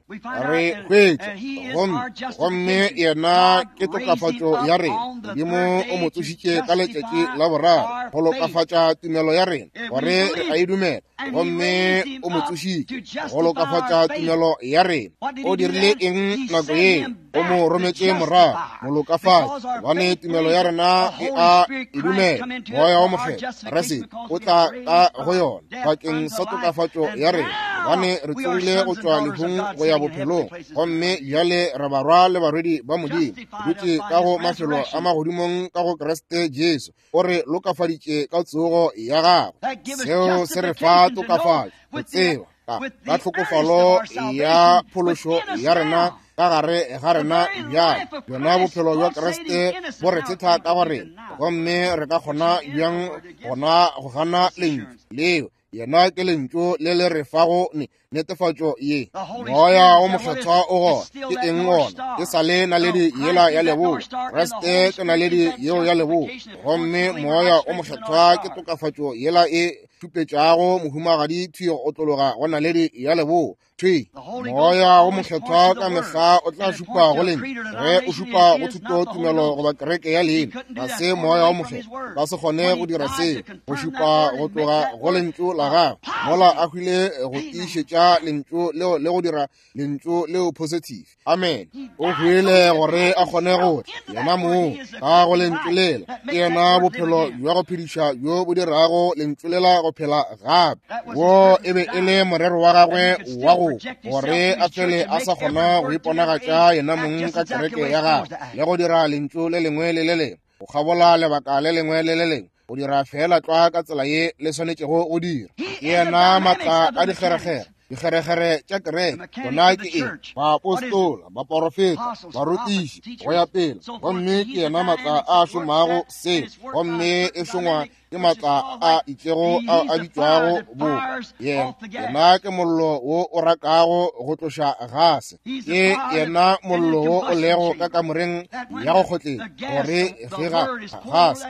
Re hwetša gomme gomme yena ke tokafatšo ya rena. Modimo o mo tsošitše ka letšatši la boraro go lokafatša tumelo ya rena, gore re a e dumela. Gomme o mo tsošitše go lokafatša tumelo ya rena. O dirile eng nako ye? O mo rometše morago, molokafatši, gobane tumelo ya rena e a e dumela. Moya wa Mokgethwa Kriste o tla ka go yona bakeng sa tokafatšo ya rena, gobane re tsogile go tšwa lehung go ya bophelong, gomme bjale re barwa le barwedi ba Modimo, dutše ka go mafelo a magodimong ka go Kriste Jesu. O re lokafaditše ka tsogo ya gagwe. Seo se re fa tokafatšo go tseba Ka, ka tlhokofalo ya phološo ya rena ka gare ga rena bjale, bjona bophelo bja Kriste bo re thetha ka go rena, gomme re ka kgona bjang gona go gana lentšu leo? Yena ke lentšu le le re fago netefatšo ye. Moya o Mokgethwa o gona. Ke eng gona? E sa le naledi yela ya leboa. Kriste ke naledi yeo ya leboa, gomme Moya o Mokgethwa ke tokafatšo yela e šupetšago mohumagadi thwi go otlologa go naledi ya leboa. Thwi Moya o Mokgethwa ka mehla o tla šupa go lentšu. Ge o šupa go thuto tumelo goba kereke ya leina, ga se Moya o Mokgethwa. Ka se kgone go dira seo, go šupa go tloga go lentšu la gagwe. Mola a hwile go tiišetša lentšu leo le go dira lentšu leo positive. Amen. O hwile gore a kgone go yena mong ka go lentšu lela. Ke yena bophelo bja go phediša bjo bo dirago lentšu lela go phela gape. Wo e be e le morero wa gagwe wa go gore a fele a sa kgona go iponagatša yena mong ka kereke ya gagwe le go dira lentšu le lengwe le le lengwe go kgabola lebaka le lengwe le le lengwe, go dira fela tlwa ka tsela ye le swanetšego go dira. Ke yena maatla a dikgerekgere, dikgerekgere tša kereke. Bona ke eng? Baapostola, baporofeta, barutiši, go ya pele. Gomme ke yena maatla a šomago se, gomme e šongwa ke maatla a itšego ao a bitšwago bo. Yena, yena ke mollo wo o rakago go tloša gase. Ke yena mollo wo o lego ka kamoreng ya go kgotleng, gore ge ga gase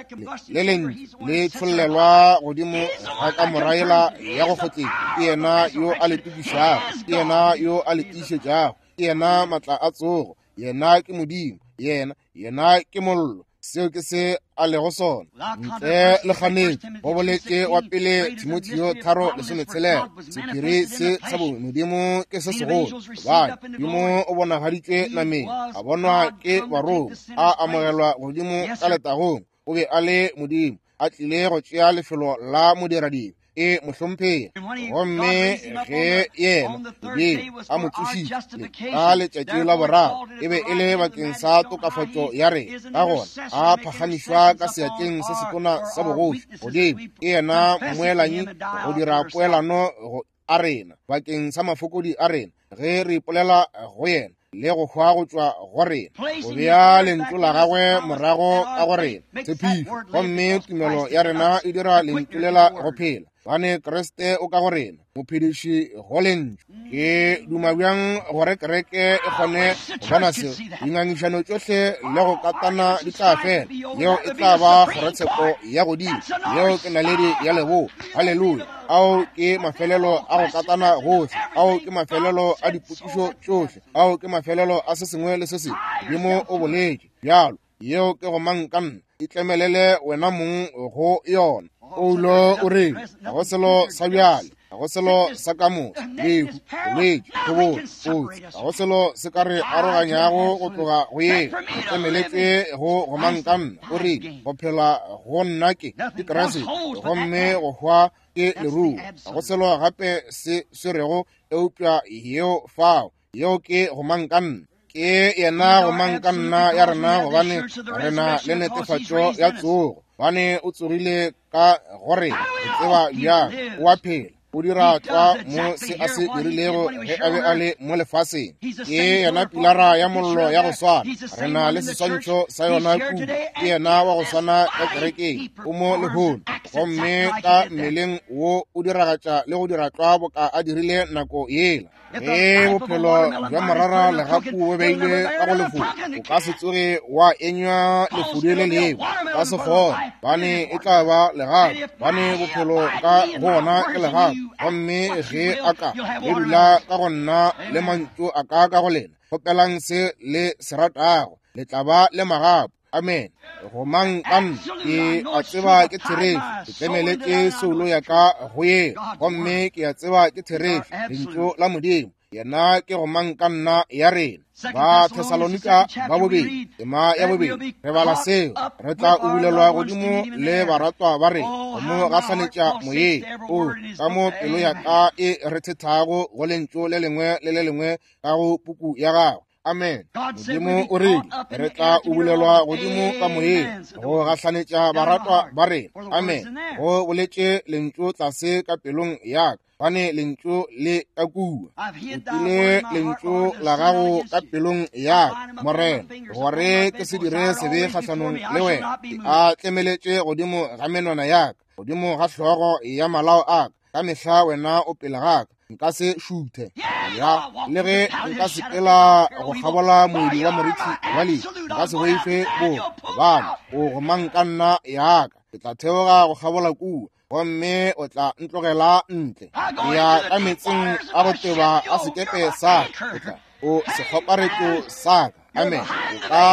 le lentšu le tšhollelwa godimo ga kamora yela ya go kgotleng, ke yena yo a le tukišago, ke yena yo a le tiišetšago, ke yena maatla a tsogo. Yena ke Modimo, yena, yena ke mollo. Seo ke se a lego sona. Ntle le kganetšo, go boletše wa pele Timotheo tharo lesometshelela, sephiri se sa bomodimo ke se segolo, gobane Modimo o bonagaditšwe nameng, a bonwa ke barongwa, a amogelwa godimo ka letagong. O be a le Modimo, a tlile go tšea lefelo la modiradibe. E mohlomphegi. Gomme ge yena Modimo a mo tsošitše ka letšatši la boraro, e be e le bakeng sa tokafatšo ya rena. Ka gona a phagamišwa ka seatleng se setona sa bogoši godimo. Ke yena mmoelanyi go dira poelano go a rena bakeng sa mafokodi a rena, ge re ipolela go yena le go hwa go tšwa go rena, go bea lentšu la gagwe morago ka go rena, tshepišo. Gomme tumelo ya rena e dira lentšu lela go phela, gobane Kriste o ka go rena, mophediši go lentšu. Ke duma bjang gore kereke e kgone go bona seo. Dingangišano tšohle le go katana di tla fela. Yeo e tla ba kgorotsheko ya godimo. Yeo ke naledi ya leboa. Haleluya. Ao ke mafelelo a go katana gohle. Ao ke mafelelo a dipotšišo tšohle. Ao ke mafelelo a se sengwe le se sengwe. Modimo o boletše bjalo. Yeo ke go mang ka nna. Itlemelele wena mong go yona. Paulo o rile, ga go selo sa bjale, ga go selo sa ka moso, lehu, bolwetši, tlhobolo, kotsi, ga go selo se ka re aroganyago go tloga go yeo. O tlemeletšwe go gomang ka nna. O rile, go phela go nna ke ke Kriste, gomme go hwa ke leruo. Ga go selo gape se swerego eupša yeo fao. Yeo ke gomang ka nna. Ke yena gomang ka nna ya rena, gobane rena le netefatšo ya tsogo. Gobane o tsogile ka gore re tseba bjang o a phela. O dira tlwa mo se a se dirilego ge a be a le mo lefaseng. Ke yena pilara ya mollo ya go swana. Re na le seswantšho sa yona kudu. Ke yena wa go swana ka kerekeng. O mo lehono, gomme ka mmeleng wo o diragatša le go dira tlwa boka a dirile nako yela. Ge bophelo bja morara legapu bo beilwe ka go lefudu, o ka se tsoge wa enywa lefudu le lengwe. Ka se kgone, bane e tla ba legapu, bane bophelo ka go ona ke legapu. Gomme ge a ka le dula ka go nna le mantšu a ka ka go lena, kgopelang se le se ratago, le tla ba le magapu. Amen. Go mang ka nna, ke a tseba ke therešo. Ke tlemeletše soulo ya ka go yeo, gomme ke a tseba ke therešo. Lentšu la Modimo, yena ke go mang ka nna ya rena. Ba Thesalonika ba bobedi, tema ya bobedi, re bala seo. Re tla ubulelwa godimo le baratwa ba rena, go mo gahlanetša moyeng. O ka mo pelo ya ka e re thethago go lentšu le lengwe le le lengwe ka go puku ya gagwe. Amen. Modimo o rile re tla ubulelwa godimo ka moyeng go gahlanetša baratwa ba rena. Amen. Go boletše lentšu tlase ka pelong ya ka. Gobane lentšu le ka kua. Utile lentšu la gago ka pelong ya ka, Morena, gore ke se dire sebe kgahlanong le wena. Ke a tlemeletše godimo ga menwana ya ka, godimo ga hlogo ya malao a ka. Ka mehla wena o pele ga ka, nka se šuthe. Ya, le ge nka sepela go kgabola moedi wa morithi wa lehu, nka se boife bobe, gobane o gomang ka nna ya ka. Ke tla theoga go kgabola kua, gomme o tla ntlogela ntle. Ke ya ka meetseng a go teba a sekepe sa ka, o tla o sekgoparetšo sa ka. Amen. O ka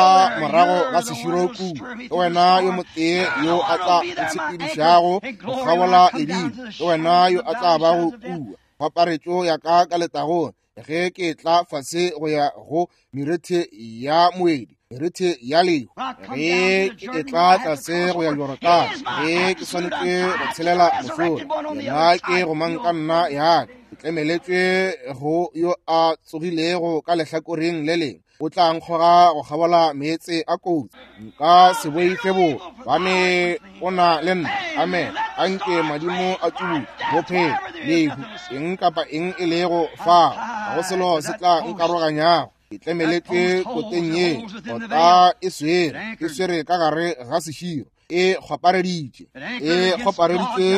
morago ga seširo kua, ke wena yo motee yo a tla ntshepedišago go kgabola ledimo, ke wena yo a tla bago kua. Kgoparetšo ya ka ka letagong, ge ke tla fase go ya go merethe ya moedi, merethe ya lehu, ge ke etla tlase go ya Jorodane, ge ke swanetše go tshelela mošola, yena ke gomang ka nna ya ka. Ke tlemeletšwe go yo a tsogilego ka lehlakoreng le lengwe, o tla nkgoga go kgabola meetse a kotsi. Nka se boife bobe, gobane o na le nna. Amen. Anke madimo a tsubutle, bophelo, lehu, eng kapa eng e lego fao, ga go selo se tla nkaroganyago. Ke tlemeletšwe koteng ye, kota e swere, e swere ka gare ga seširo, e kgopareditše, e kgopareditše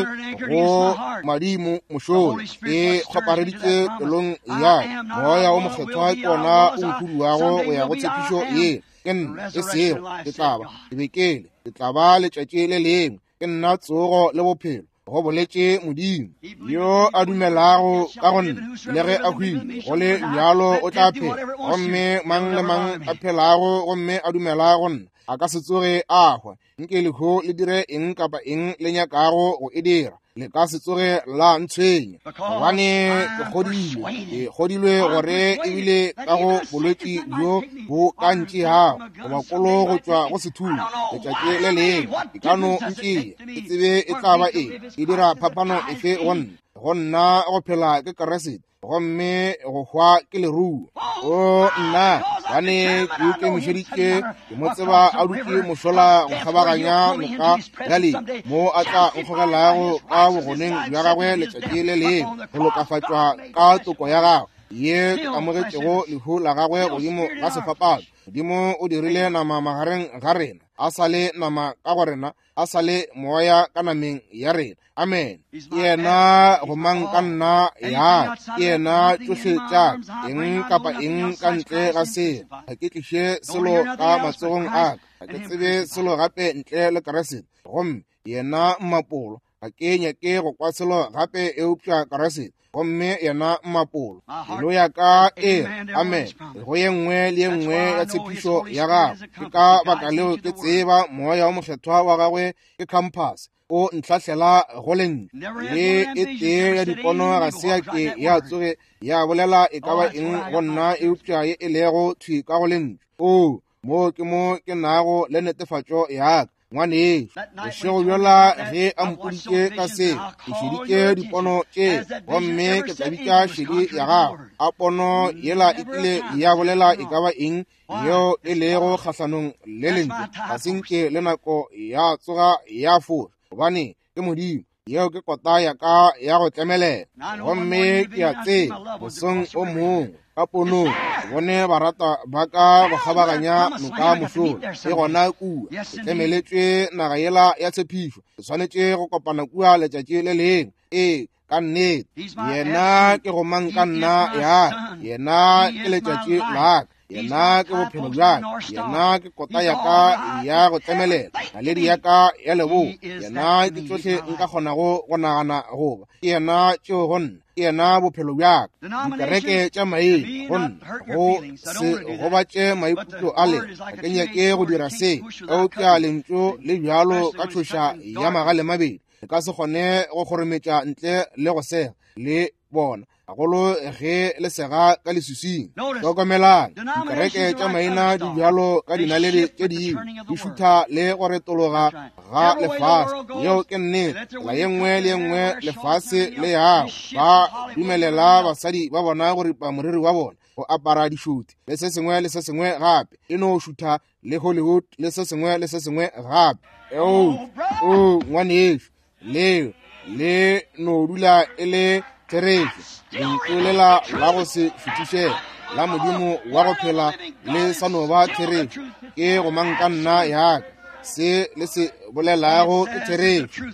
go madimo mošola, e kgopareditše pelong ya ka. Moya o mokgethwa ke wona o nkhuduago go ya go tshepišo ye. Ke nna, e sego ke tla ba, ke be ke le, ke tla ba letšatši le lengwe. Ke nna tsogo le bophelo, go boletše Modimo. Yo a dumelago ka go nna, le ge a hwile, go le bjalo o tla phela. Gomme mang le mang a phelago gomme a dumela go nna, a ka se tsoge a hwa. Nke lehu le dire eng kapa eng le nyakago go e dira, le ka se tsoge la ntshwenya, gobane ke kgodilwe, ke kgodilwe gore ebile ka go bolwetši bjo bo ka ntšeago goba kolo go tšwa go sethunya letšatši le lengwe, e ka no ntšea, ke tsebe e tla ba eng, e dira phapano efe go nna. Go nna go phela ke Kriste, gomme go hwa ke leruo. O nna, gobane ke ikemišeditše, ke mo tseba a dutše mošola go kgabaganya noka ya lehu, mo a tla nkgogelago ka bogoneng bja gagwe letšatši le lengwe, go lokafatšwa ka toko ya gagwe ye ke amogetšego lehu la gagwe godimo ga sefapano. Modimo o dirile nama magareng ga rena, a sa le nama ka go rena, a sa le moya ka nameng ya rena. Amen. Ke yena gomang ka nna ya ka, ke yena tšohle tša ka, eng kapa eng ka ntle ga seo. Ga ke tliše selo ka matsogong a ka, ga ke tsebe selo gape ntle le Kriste, gomme yena mmapolo. Ga ke nyake go kwa selo gape eupša Kriste, gomme yena mmapolo. Pelo ya ka e amen go ye nngwe le ye nngwe ya tshepišo ya gagwe. Ke ka baka leo ke tseba moya o mokgethwa wa gagwe ke compass, o ntlhahlela go lentšu. Le e tee ya dipono ga se ya ke ya tsoge ya bolela e ka ba eng go nna eupša ye e lego thwi ka go lentšu. O mo ke mo ke nago le netefatšo ya ka. Ngwanešu, bošego bjola ge a mpoditše ka se, ke šeditše dipono tše, gomme ke tla bitša šedi ya gago. A pono yela e kile ya bolela e ka ba eng yeo e lego kgahlanong le lentšu? Ga se nke le nako ya tsoga ya foša, gobane ke Modimo. Yeo ke kota ya ka ya go tlemelela. Gomme ke a tseba mosong o mongwe ka ponong ke bone barata ba ka go kgabaganya noka mošola, e gona kua ke tlemeletšwe naga yela ya tshepišo. Ke swanetše go kopana kua letšatši le lengwe. Ee, ka nnete, yena ke gomang ka nna ya ka, yena ke letšatši la ka, yena ke bophelo bja ka, yena ke kota ya ka ya go tlemelela, naledi ya ka ya leboa, yena ke tšohle nka kgonago go nagana goba ke yena tšeo go nna, ke yena bophelo bja ka. Dikereke tša maina go nna go se gobatše maikutlo a lena, ga ke nyake go dira se, eupša lentšu le bjalo ka tšhoša ya magalemabedi, le ka se kgone go kgorometša ntle le go sega le bona, gagolo ge le sega ka leswiswing. Hlokomelang, dikereke tša maina di bjalo ka dinaledi tše dingwe, di šutha le go retologa ga lefase. Yeo ke nnete. Tsela ye nngwe le ye nngwe lefase le yago, ba dumelela basadi ba bona go ripa moriri wa bona, go apara dišuthi le se sengwe le se sengwe gape, e no šutha le Hollywood le se sengwe le se sengwe gape. O, o ngwanešu, leo le no dula e le Therešo, lentšu lela la go se šuthišege la Modimo wa go phela le sa no ba therešo. Ke gomang ka nna ya ka. Se le se bolelago ke therešo.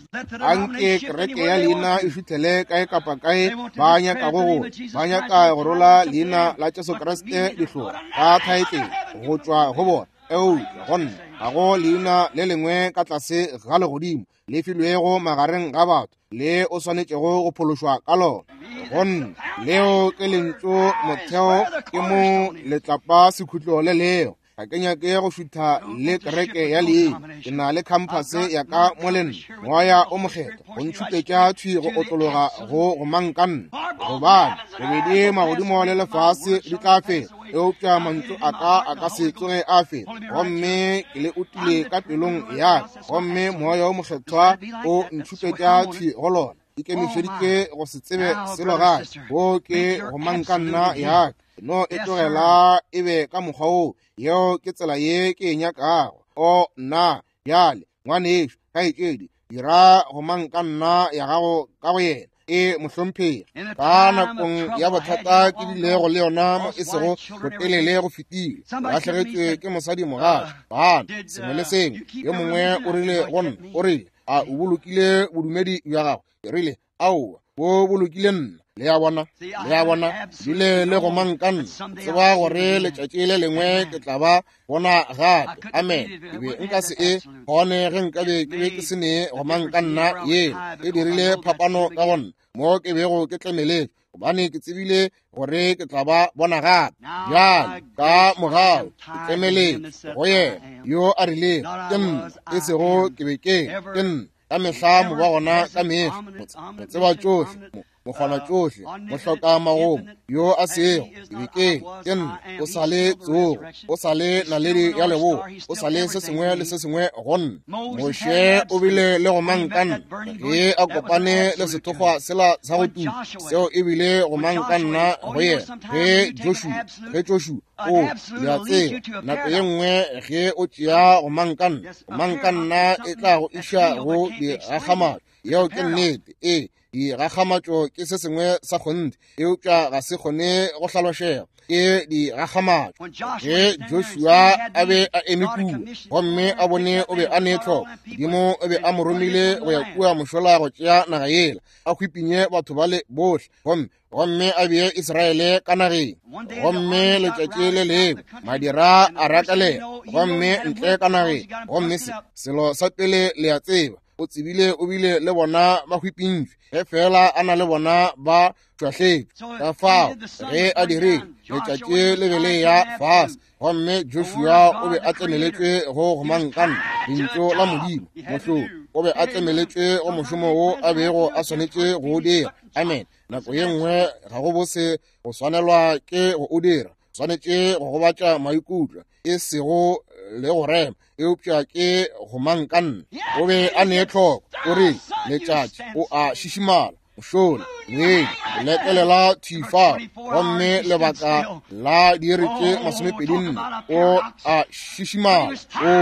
Anke kereke ya leina e šuthele kae kapa kae ba nyakago go ba nyaka go rola leina la Jesu Kriste dihlogo ka thaetlele go tšwa go bona. Eupša go nna ga go leina le lengwe ka tlase ga legodimo le filwego magareng ga batho le o swanetšego go phološwa ka lona. Go nna leo ke lentšu motheo, ke mo letlapa sekhutlo le leo. Ga ke nyake go šutha le kereke ya leina. Ke na le khamphase ya ka mo le nna, Moya o Mokgethwa go ntšhupetša thwi go otlologa go gomang ka nna. Gobane bobedi magodimo le lefase di tla fela, eupša mantšu a ka a ka se tsoge a fela. Gomme ke le utile ka pelong ya ka, gomme Moya o Mokgethwa o ntšhupetša thwi go lona. Ikemišeditše go se tsebe selo gape. Wo ke gomang ka nna ya ka. No e tlogela e be ka mokgwa wo. Yeo ke tsela ye ke e nyakago. O nna bjale, ngwanešo, kgaetšedi, dira gomang ka nna ya gago ka go yena. E mohlomphegi, ka nakong ya bothata ke bilego le yona mo e sego botelele go fetile, lahlegetšwe ke mosadi mogatša, bana, sengwe le sengwe. Yo mongwe o rile go nna, o rile, a o bolokile bodumedi bja gago? Ke rile, aowa, bo bolokile nna. Le a bona, le a bona, bile le gomang ka nna. Tseba gore letšatši le lengwe ke tla ba bona gape. Amen. Ke be nka se e kgone ge nkabe ke be ke se ne gomang ka nna yela. E dirile phapano ka go nna mo ke bego ke tlemeletšwe, gobane ke tsebile gore ke tla ba bona gape. Bjale ka mogau ke tlemeletšwe go yena yo a rilego ke nna, e sego ke be ke ke nna. Ka mehla mo ba gona ka mehla, mo tseba tšohle, mokgona tšohle, mohloka magomo yo a sego ke be ke ke nna. O sa le tsogo, o sa le naledi ya leboa, o sa le se sengwe le se sengwe go nna. Moshe o bile le gomang ka nna ge a kopane le sethokgwa sela sa go tuka, seo e bile gomang ka nna go yena. Ge Joshua, ge Joshua o le a tseba, nako ye nngwe ge o tšea gomang ka nna, gomang ka nna e tla go iša go digakgamatšo. Yeo ke nnete. Ee, digakgamatšo ke se sengwe sa kgonthe, eupša ga se kgone go hlalošega. Ke digakgamatšo. Ge Joshua a be a eme kua gomme a bone o be a ne tlhoko, Modimo o be a mo romile go ya kua mošola go tšea naga yela, a hwipinye batho bale bohle, gomme gomme a bee Israele ka nageng. Gomme letšatši le lengwe madira a rakalela gomme ntle ka nageng, gomme se selo sa pele le a tseba, o tsebile o bile le bona ba hwipintšwe, ge fela a na le bona ba tšwahletšwe. Ka fao ge a dirile, letšatši le be le ya fase, gomme Joshua o be a tlemeletšwe go gomang ka nna, lentšu la Modimo mohlolo. O be a tlemeletšwe go mošomo wo a bego a swanetše go o dira. Amen. Nako ye nngwe ga go bose go swanelwa ke go o dira, swanetše go gobatša maikutlo, e sego le go rema, eupša ke gomang ka nna. O be a ne tlhoko, o rile letšatši o a šišimala, mošola ngwedi o lekelela thwi fao, gomme lebaka la diiri tše masomepedi nne o a šišimala. O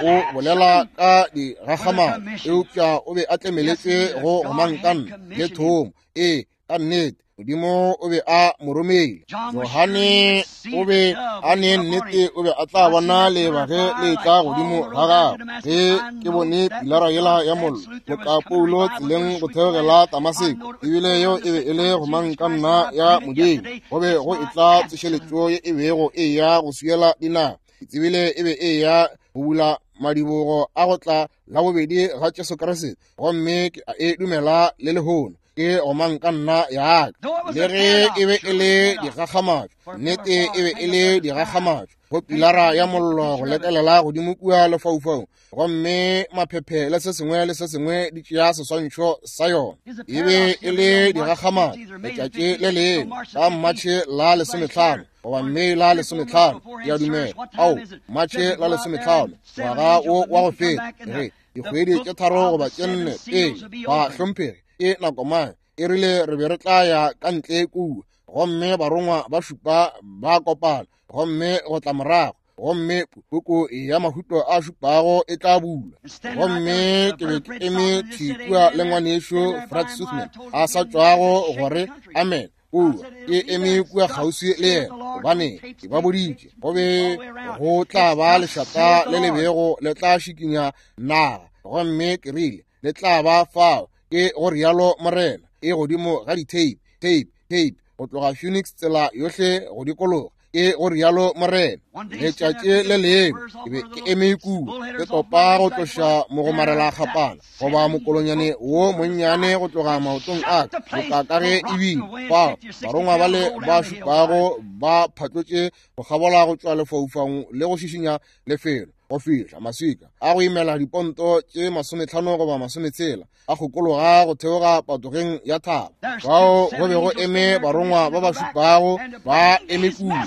o bolela ka digakgamatšo, eupša o be a tlemeletšwe go gomang ka nna le thomo. Ee, ka nnete Modimo o be a mo romile. Johane o be a ne nnete o be a tla bona leeba ge le etla godimo ga gagwe. Ge ke bone pilara yela ya mollo boka Paulo tseleng go theogela Damaseko, ebile yeo e be e le gomang ka nna ya Modimo. Go be go etla tsošeletšo ye e bego e ya go swiela dinaga. Ke tsebile e be e ya go bula madibogo a go tla la bobedi ga Jesu Kriste, gomme ke a e dumela le lehono. Ke gomang ka nna ya ka. Le ge e be e le digakgamatšo, nnete e be e le digakgamatšo go pilara ya mollo go lekelela godimo kua lefaufaung, gomme maphephe le se sengwe le se sengwe di tšea seswantšho sa yona. E be e le digakgamatšo. Letšatši le lengwe ka Matšhe la lesometlhano goba Mei la lesometlhano, ke a dumela, ao Matšhe la lesometlhano ngwaga wo wa go feta, re dikgwedi tše tharo goba tše nne pele, ba hlomphegi ke nako mang e rile re be re tla ya ka ntle kua, gomme barongwa ba šupa ba kopana, gomme go tla morago gomme puku ya mahuto a šupago e tla bulwa. Gomme ke be ke eme thwi kua le ngwanešu Fred Sothmann a sa tšwago gore amen kua, ke eme kua kgauswi le yena, gobane ke ba boditše go be go tla ba lešata le le bego le tla šikinya naga, gomme ke rile le tla ba fao, ke go rialo Morena, e godimo ga di-tape, tape, tape, go tloga Phoenix tsela yohle go dikologa, ke go rialo Morena. Letšatši le lengwe ke be ke eme kua ke topa go tloša mogomarela kgapana goba mokolonyane wo monnyane go tloga maotong a ka, boka ka ge e bile fao barongwa bale ba šupago ba phatlotše go kgabola go tšwa lefaufaung le go šišinya lefelo go fihla maswika a go imela diponto tše masometlhano goba masometshela a kgokologa go theoga patogeng ya thaba. Fao go be go eme barongwa ba ba šupago ba eme kua,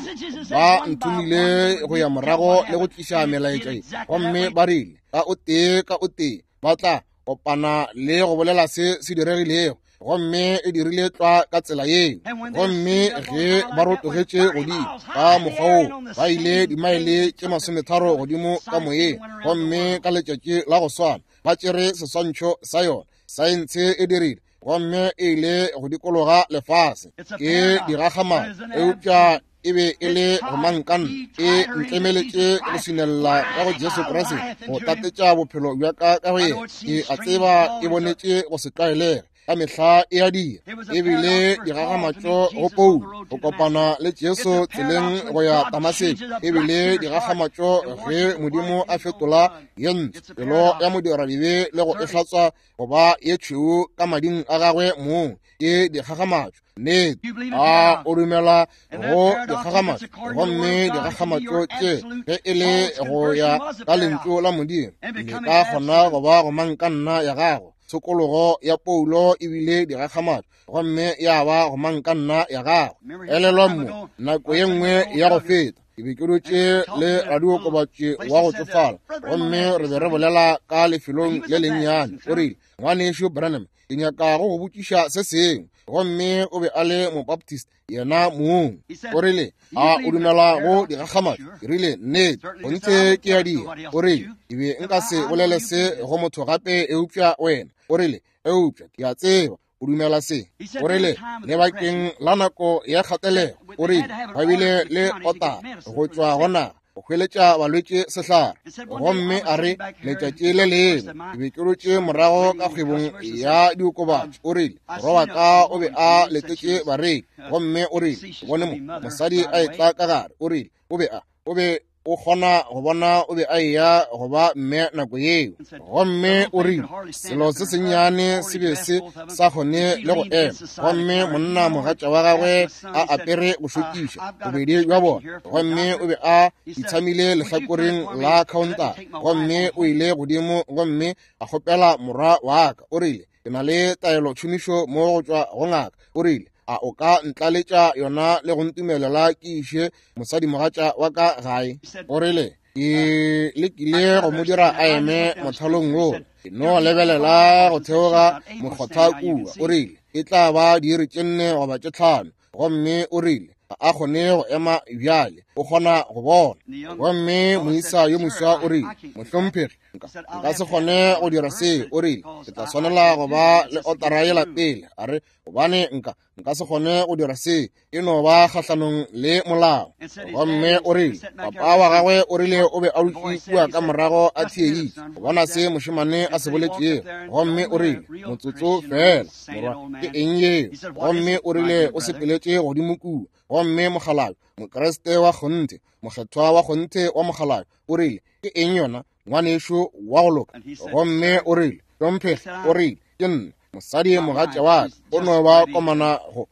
ba nthomile go ya morago le go tliša melaetša ye, gomme ba rile ka o tee ka o tee ba tla kopana le go bolela se se diregilego, gomme e dirile tlwa ka tsela yeo. Gomme ge ba rotogetše godimo ka mokgwa woo, ba ile dimaele tše masometharo godimo ka moyeng, gomme ka letšatši la go swana ba tšere seswantšho sa yona. Saense e dirile, gomme e ile go dikologa lefase. Ke digakgamatšo, eupša e be e le gomangkanna, e ntlemeletše go swinella ka go Jesu Kriste, go tatetša bophelo bja ka ka go yena. Ke a tseba e bonetše go se tlwaelege, ka mehla e a dira. E bile digakgamatšo go Paulo go kopana le Jesu tseleng go ya Damaseko. E bile digakgamatšo ge Modimo a fetola ye ntsho pelo ya modiradibe le go e hlatswa go ba ye tšhweu ka mading a gagwe mong. Ke digakgamatšo. Nnete, a o dumela go digakgamatšo? Gomme digakgamatšo tše ge e le go ya ka lentšu la Modimo, le ka kgona go ba gomangkanna ya gago. Tshokologo ya Paulo e bile digakgamatšo, gomme ya ba gomangkanna ya gago. Elelwa mo nako ye nngwe ya go feta ke be ke dutše le radiokobatši wa go tsofala, gomme re be re bolela ka lefelong le lennyane. O rile, ngwanešu Branham, ke nyaka go go botšiša se sengwe. Gomme o be a le Mobaptist yena mong. O rile, a o dumela go digakgamatšo? Ke rile, nnete, gonthe ke a dira. O rile, ke be nka se bolele se go motho gape eupša wena. O rile, eupša ke a tseba o dumela se. O rile, lebakeng la nako ya kgatelego, o rile, ba bile le otara go tšwa go naga go hweletša balwetši sehlare. Gomme a re, letšatši le lengwe ke be ke dutše morago ka kgwebong ya diokobatši. O rile, morwa wa ka o be a letetše bareki, gomme o rile, ke bone mo mosadi a etla ka gare. O rile, o be a o be o kgona go bona o be a eya go ba mme nako yeo. Gomme o rile, selo se sennyane se be se sa kgone le go ema, gomme monna mogatša wa gagwe a apere go šokiša bobedi bja bona, gomme o be a itshamile lehlakoreng la counter. Gomme o ile godimo gomme a kgopela morwa wa ka. O rile, ke na le taelo tšhomišo mo go tšwa go ngaka. O rile, a o ka ntlaletša yona le go ntumelela ke iše mosadimogatša wa ka gae? O rile, ke lekile go mo dira a eme mothalong wo, ke no lebelela go theoga mokgotha kua. O rile, e tla ba diiri tše nne goba tše tlhano. Gomme o rile, ga a kgone go ema bjale, o kgona go bona. Gomme moisa yo moswa o rile, mohlomphegi, nka se kgone go dira se. O rile, ke tla swanela go ba le otara yela pele. A re, gobane nka nka se kgone go dira se, e no ba kgahlanong le molao. Gomme o rile, papa wa gagwe o rile o be a dutše kua ka morago a theeditše go bona se mošemane a se boletšego. Gomme o rile, motsotso fela, morwa, ke eng yeo? Gomme o rile o sepeletše godimo kua. Gomme mokgalabje, Mokriste wa kgonthe, mokgethwa wa kgonthe wa mokgalabje, o rile, ke eng yona, ngwanešu wa go loka? Gomme o rile, hlomphegi, o rile, ke nna mosadi mogatša wa ka, o no ba komana go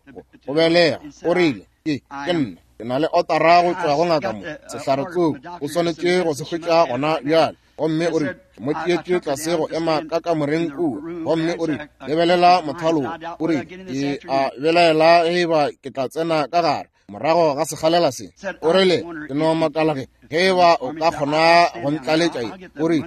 go belega. O rile, ke ke nna, ke na le otara go tšwa go ngaka mo, sehlare tsoko, o swanetše go se hwetša gona bjale. Gomme o rile, ke mo tšeetše tlase go ema ka kamoreng kua. Gomme o rile, lebelela mothalo wo. O rile, ke a belaela ge eba ke tla tsena ka gare morago ga sekgalela se. O rile, ke no makala ge ge eba o ka kgona go ntlaletša ye. O rile,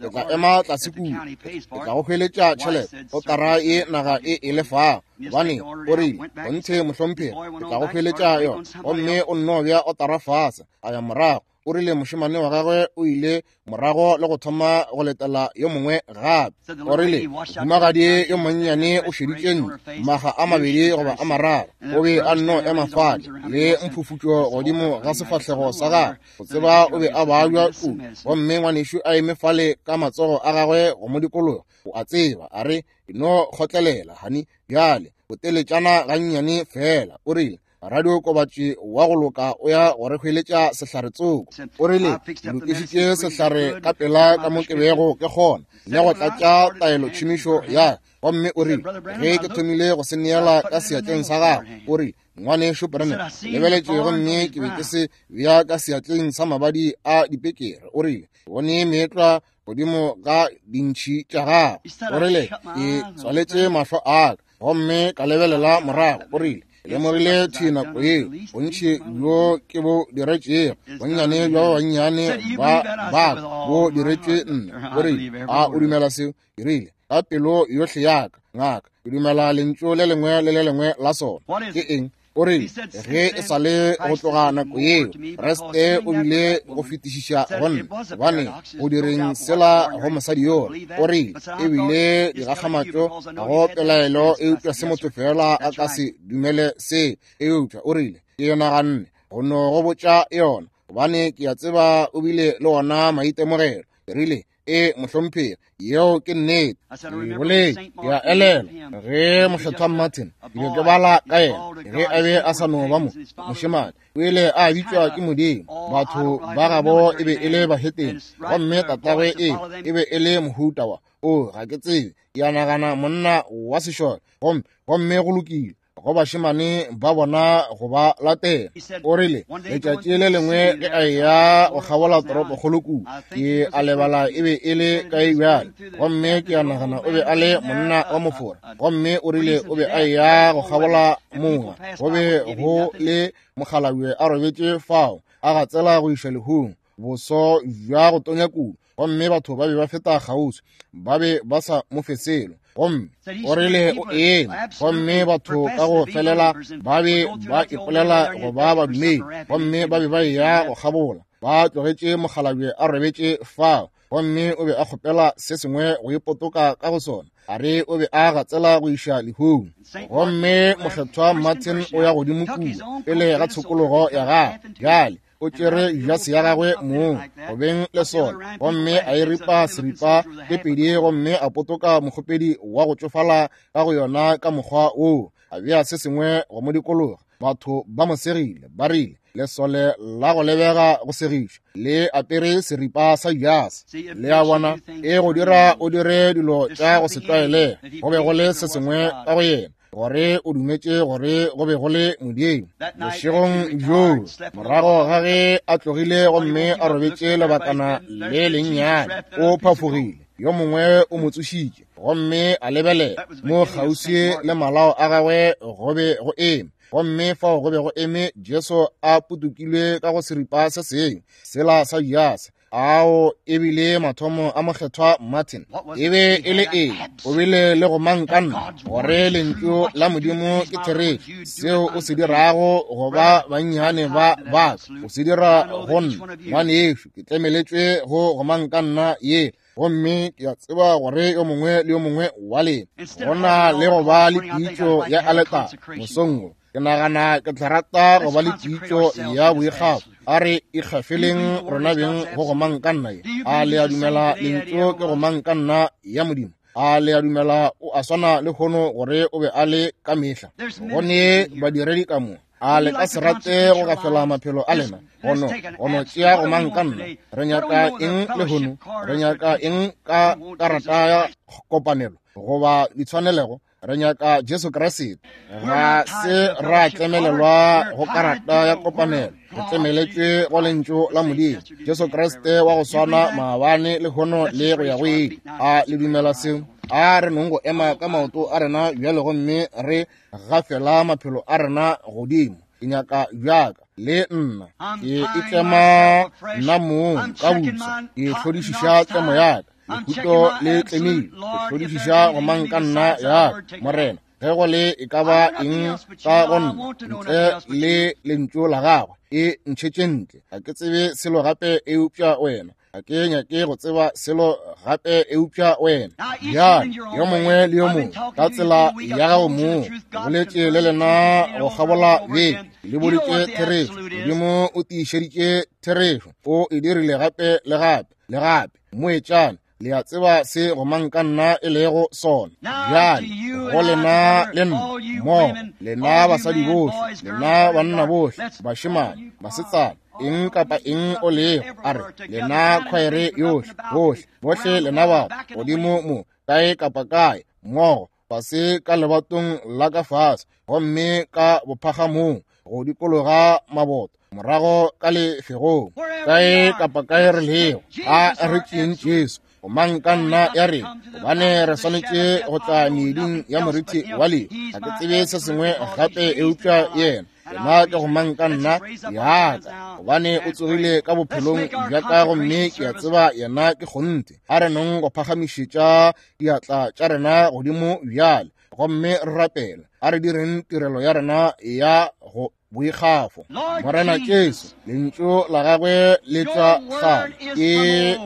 ke tla ema tlase kua, ke tla go hweletša tšhelete otara ye naga e e lefago. Gobane o rile, gonthe mohlomphegi, ke tla go hweletša yona. Gomme o nno bea otara fase, a ya morago. O rile mošemane wa gagwe o ile morago le go thoma go letela yo mongwe gape. O rile mohumagadi yo monnyane o šeditše ntle maga a mabedi goba a mararo, o be a nno ema fale le mphufutšo godimo ga sefahlego sa gagwe, go tseba o be a babja kudu. Gomme ngwanešu a eme fale ka matsogo a gagwe go mo dikologa, o a tseba, a re no kgotlelela hani bjale boteletšana gannyane fela. O rile radiokobatši wa go loka o ya go re hweletša sehlare tsoko. O rile ke lokišitše sehlare ka pela ka mo ke bego ke kgona le go tlatša taelotšhomišo ya. Gomme o rile ge ke thomile go se neela ka seatleng sa gagwe, o rile ngwanešu Branham, lebeletše gomme ke be ke se bea ka seatleng sa mabadi a dipekere. O rile bone meetlwa godimo ga dintšhi tša gagwe. O rile ke tswaletše mahlo a ka gomme ka lebelela morago. O rile lemogile thwi nako yeo bontši bjo ke bo diretšego, bonnyane bja ba bannyane ba baka bo diretšwe nna. O rile a o dumela seo? Ke rile ka pelo yohle ya ka ngaka, ke dumela lentšu le lengwe le le lengwe la sona. Ke eng? O rile ge e sa le go tloga nako yeo Kriste o bile go fetišiša go nna, gobane go direng sela go mosadi yola. O rile e bile digakgamatšo, ga go pelaelo, eupša se motho fela a ka se dumele se. Eupša o rile ke naganne go no go botša yona, gobane ke a tseba o bile le ona maitemogelo. Ke rile e mohlomphegi, yeo ke nnete. Ke boletše, ke a elelwa ge mokgethwa Martin ke be ke bala ka yena ge a be a sa no ba mo mošemane, o ile a bitšwa ke Modimo. Batho ba gabo e be e le bahetene, gomme tatagwe e e be e le mohuta wa o ga ke tsebe, ke a nagana monna wa sešole. Gomme gomme go lokile go bašemane ba bona go ba latela. O rile letšatši le lengwe ge a eya go kgabola toropokgolo kudu, ke a lebala e be e le kae bjale, gomme ke a nagana o be a le monna wa mofora. Gomme o rile o be a eya go kgabola moga, go be go le mokgalabje a robetše fao a gatsela go iša lehung, boso bja go tonya kudu, gomme batho ba be ba feta kgauswi, ba be ba sa mo fe selo. Gomme o rile o eme, gomme batho ka go felela ba be ba ipolela go ba badumedi, gomme ba be ba eya go kgabola, ba tlogetše mokgalabje a robetše fao, gomme o be a kgopela se sengwe go ipotoka ka go sona. A re o be a gatsela go iša lehung. Gomme mokgethwa Martin o ya godimo kua pele ga tshokologo ya gagwe bjale, o tšere jase ya gagwe mong go beng le sona, gomme a e ripa seripa tše pedi, gomme a potoka mokgopedi wa go tšofala ka go yona ka mokgwa woo, a bea se sengwe go mo dikologa. Batho ba mo segile, ba rile lesole la go lebega go segišwa le apere seripa sa jase. Le a bona, e go dira o dire dilo tša go se tlwaelege. Go be go le se sengwe ka go yena gore o dumetše gore go be go le Modimo. Bošegong bjoo morago ga ge a tlogile gomme a robetše lebakana le lennyane, o phafogile, yo mongwe o mo tsošitše, gomme a lebelela mo kgauswi le malao a gagwe go be go eme, gomme fao go be go eme Jesu a potokilwe ka go seripa se sengwe sela sa jase. Ao e bile mathomo a mokgethwa Martin. E be e le eng? O bile le go mankanna gore lentšu la Modimo ke therešo. Seo o se dirago go ba bannyane ba baka, o se dira go nna ngwanešu. Ke tlemeletšwe go go mankanna ye, gomme ke a tseba gore yo mongwe le yo mongwe wa lena go na le go ba le pitšo ya aletare mosong wo. Ke nagana ke tla rata go ba le pitšo ya boikgafo. A re ikgafeleng rona beng go gomang ka nna ye. A le a dumela lentšu ke gomang ka nna ya Modimo? A le a dumela o a swana le hono gore o be a le ka mehla? Go ne badiredi ka mo. A le ka se rate go gafela maphelo a lena gono gono tšea gomang ka nna? Re nyaka eng le hono? Re nyaka eng ka karata ya kopanelo goba ditshwanelego? Re nyaka Jesu Kriste. Ga se ra tlemelelwa go karata ya kopanelo, re tlemeletšwe go lentšu la Modimo, Jesu Kriste wa go swana maabane le hono le go ya go ile. A le dumela seo? A re nong go ema ka maoto a rena bjale gomme re gafela maphelo a rena godimo. Ke nyaka bjaka le nna ke itlema nna mong ka botsa, ke hlodišiša tlemo ya ka, lehuto le tlemile, ke hlodišiša gomang ka nna ya ka. Morena, Ge go le e ka ba eng ka go nna ntle le lentšu la gagwe, e ntšhetše ntle. Ga ke tsebe selo gape eupša wena. Ga ke nyake go tseba selo gape eupša wena. Bjale yo mongwe le yo mongwe ka tsela ya gago mong, boletše le lena go kgabola beke, le boditše therešo. Modimo o tiišeditše therešo, o e dirile gape le gape le gape. Moetšane, le a tseba se gomang ka nna e lego sona. Bjale go lena le nna mmogo, lena basadi bohle, lena banna bohle, bašemane, basetsana, eng kapa eng o lego, a re lena khwaere yohle, bohle, bohle lena batho godimo mo, kae kapa kae, mmogo, fase ka lebatong la ka fase, gomme ka bophagamong, go dikologa maboto, morago ka lefegong, kae kapa kae re lego, a re tšeeng Jesu gomang ka nna ya rena, gobane re swanetše go tla meeding ya moriti wa lehu. Ga ke tsebe se sengwe gape eupša yena. Yena ke gomang ka nna yaka, gobane o tsogile ka bophelong bja ka, gomme ke a tseba yena ke kgonthe. A re nong go phagamišetša diatla tša rena godimo bjale, gomme re rapela. A re direng tirelo ya rena ya go boikgafo. Morena Jesu, lentšu la gagwe le tšwa kgale, ke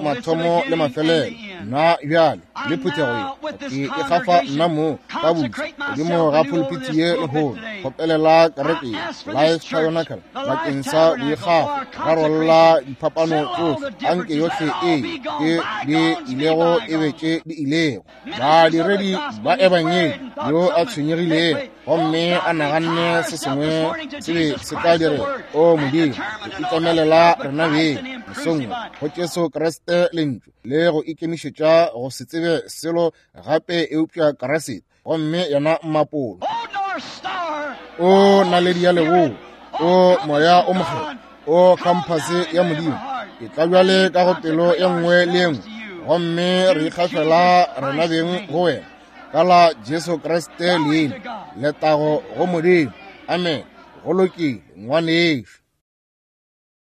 mathomo le mafelelo. Nna bjale le phuthego ye ke ikgafa nna mo ka butse godimo ga pulpiti ye lehono, kgopelela kereke ye Life Tabernacle bakeng sa boikgafo, rarolla diphapano tsohle, anke yohle e ke di ilego e be tše di ilego. Badiredi ba ebangedi yo a tshwenyegilego gomme a naganne se sengwe se be se tla direga. O Modimo, re itlamelela rena beng mosong go Jesu Kriste lentšu, le go ikemišetša go se tsebe selo gape eupša Kriste, gomme yena mmapolo. O naledi ya leboa, o moya o mokgethwa, o khamphase ya Modimo, e tla bjale ka go pelo ye nngwe le ye nngwe, gomme re ikgafela rena beng go wena ka la Jesu Kriste leina. Letago go Modimo. Amen. Go lokile, ngwanešu.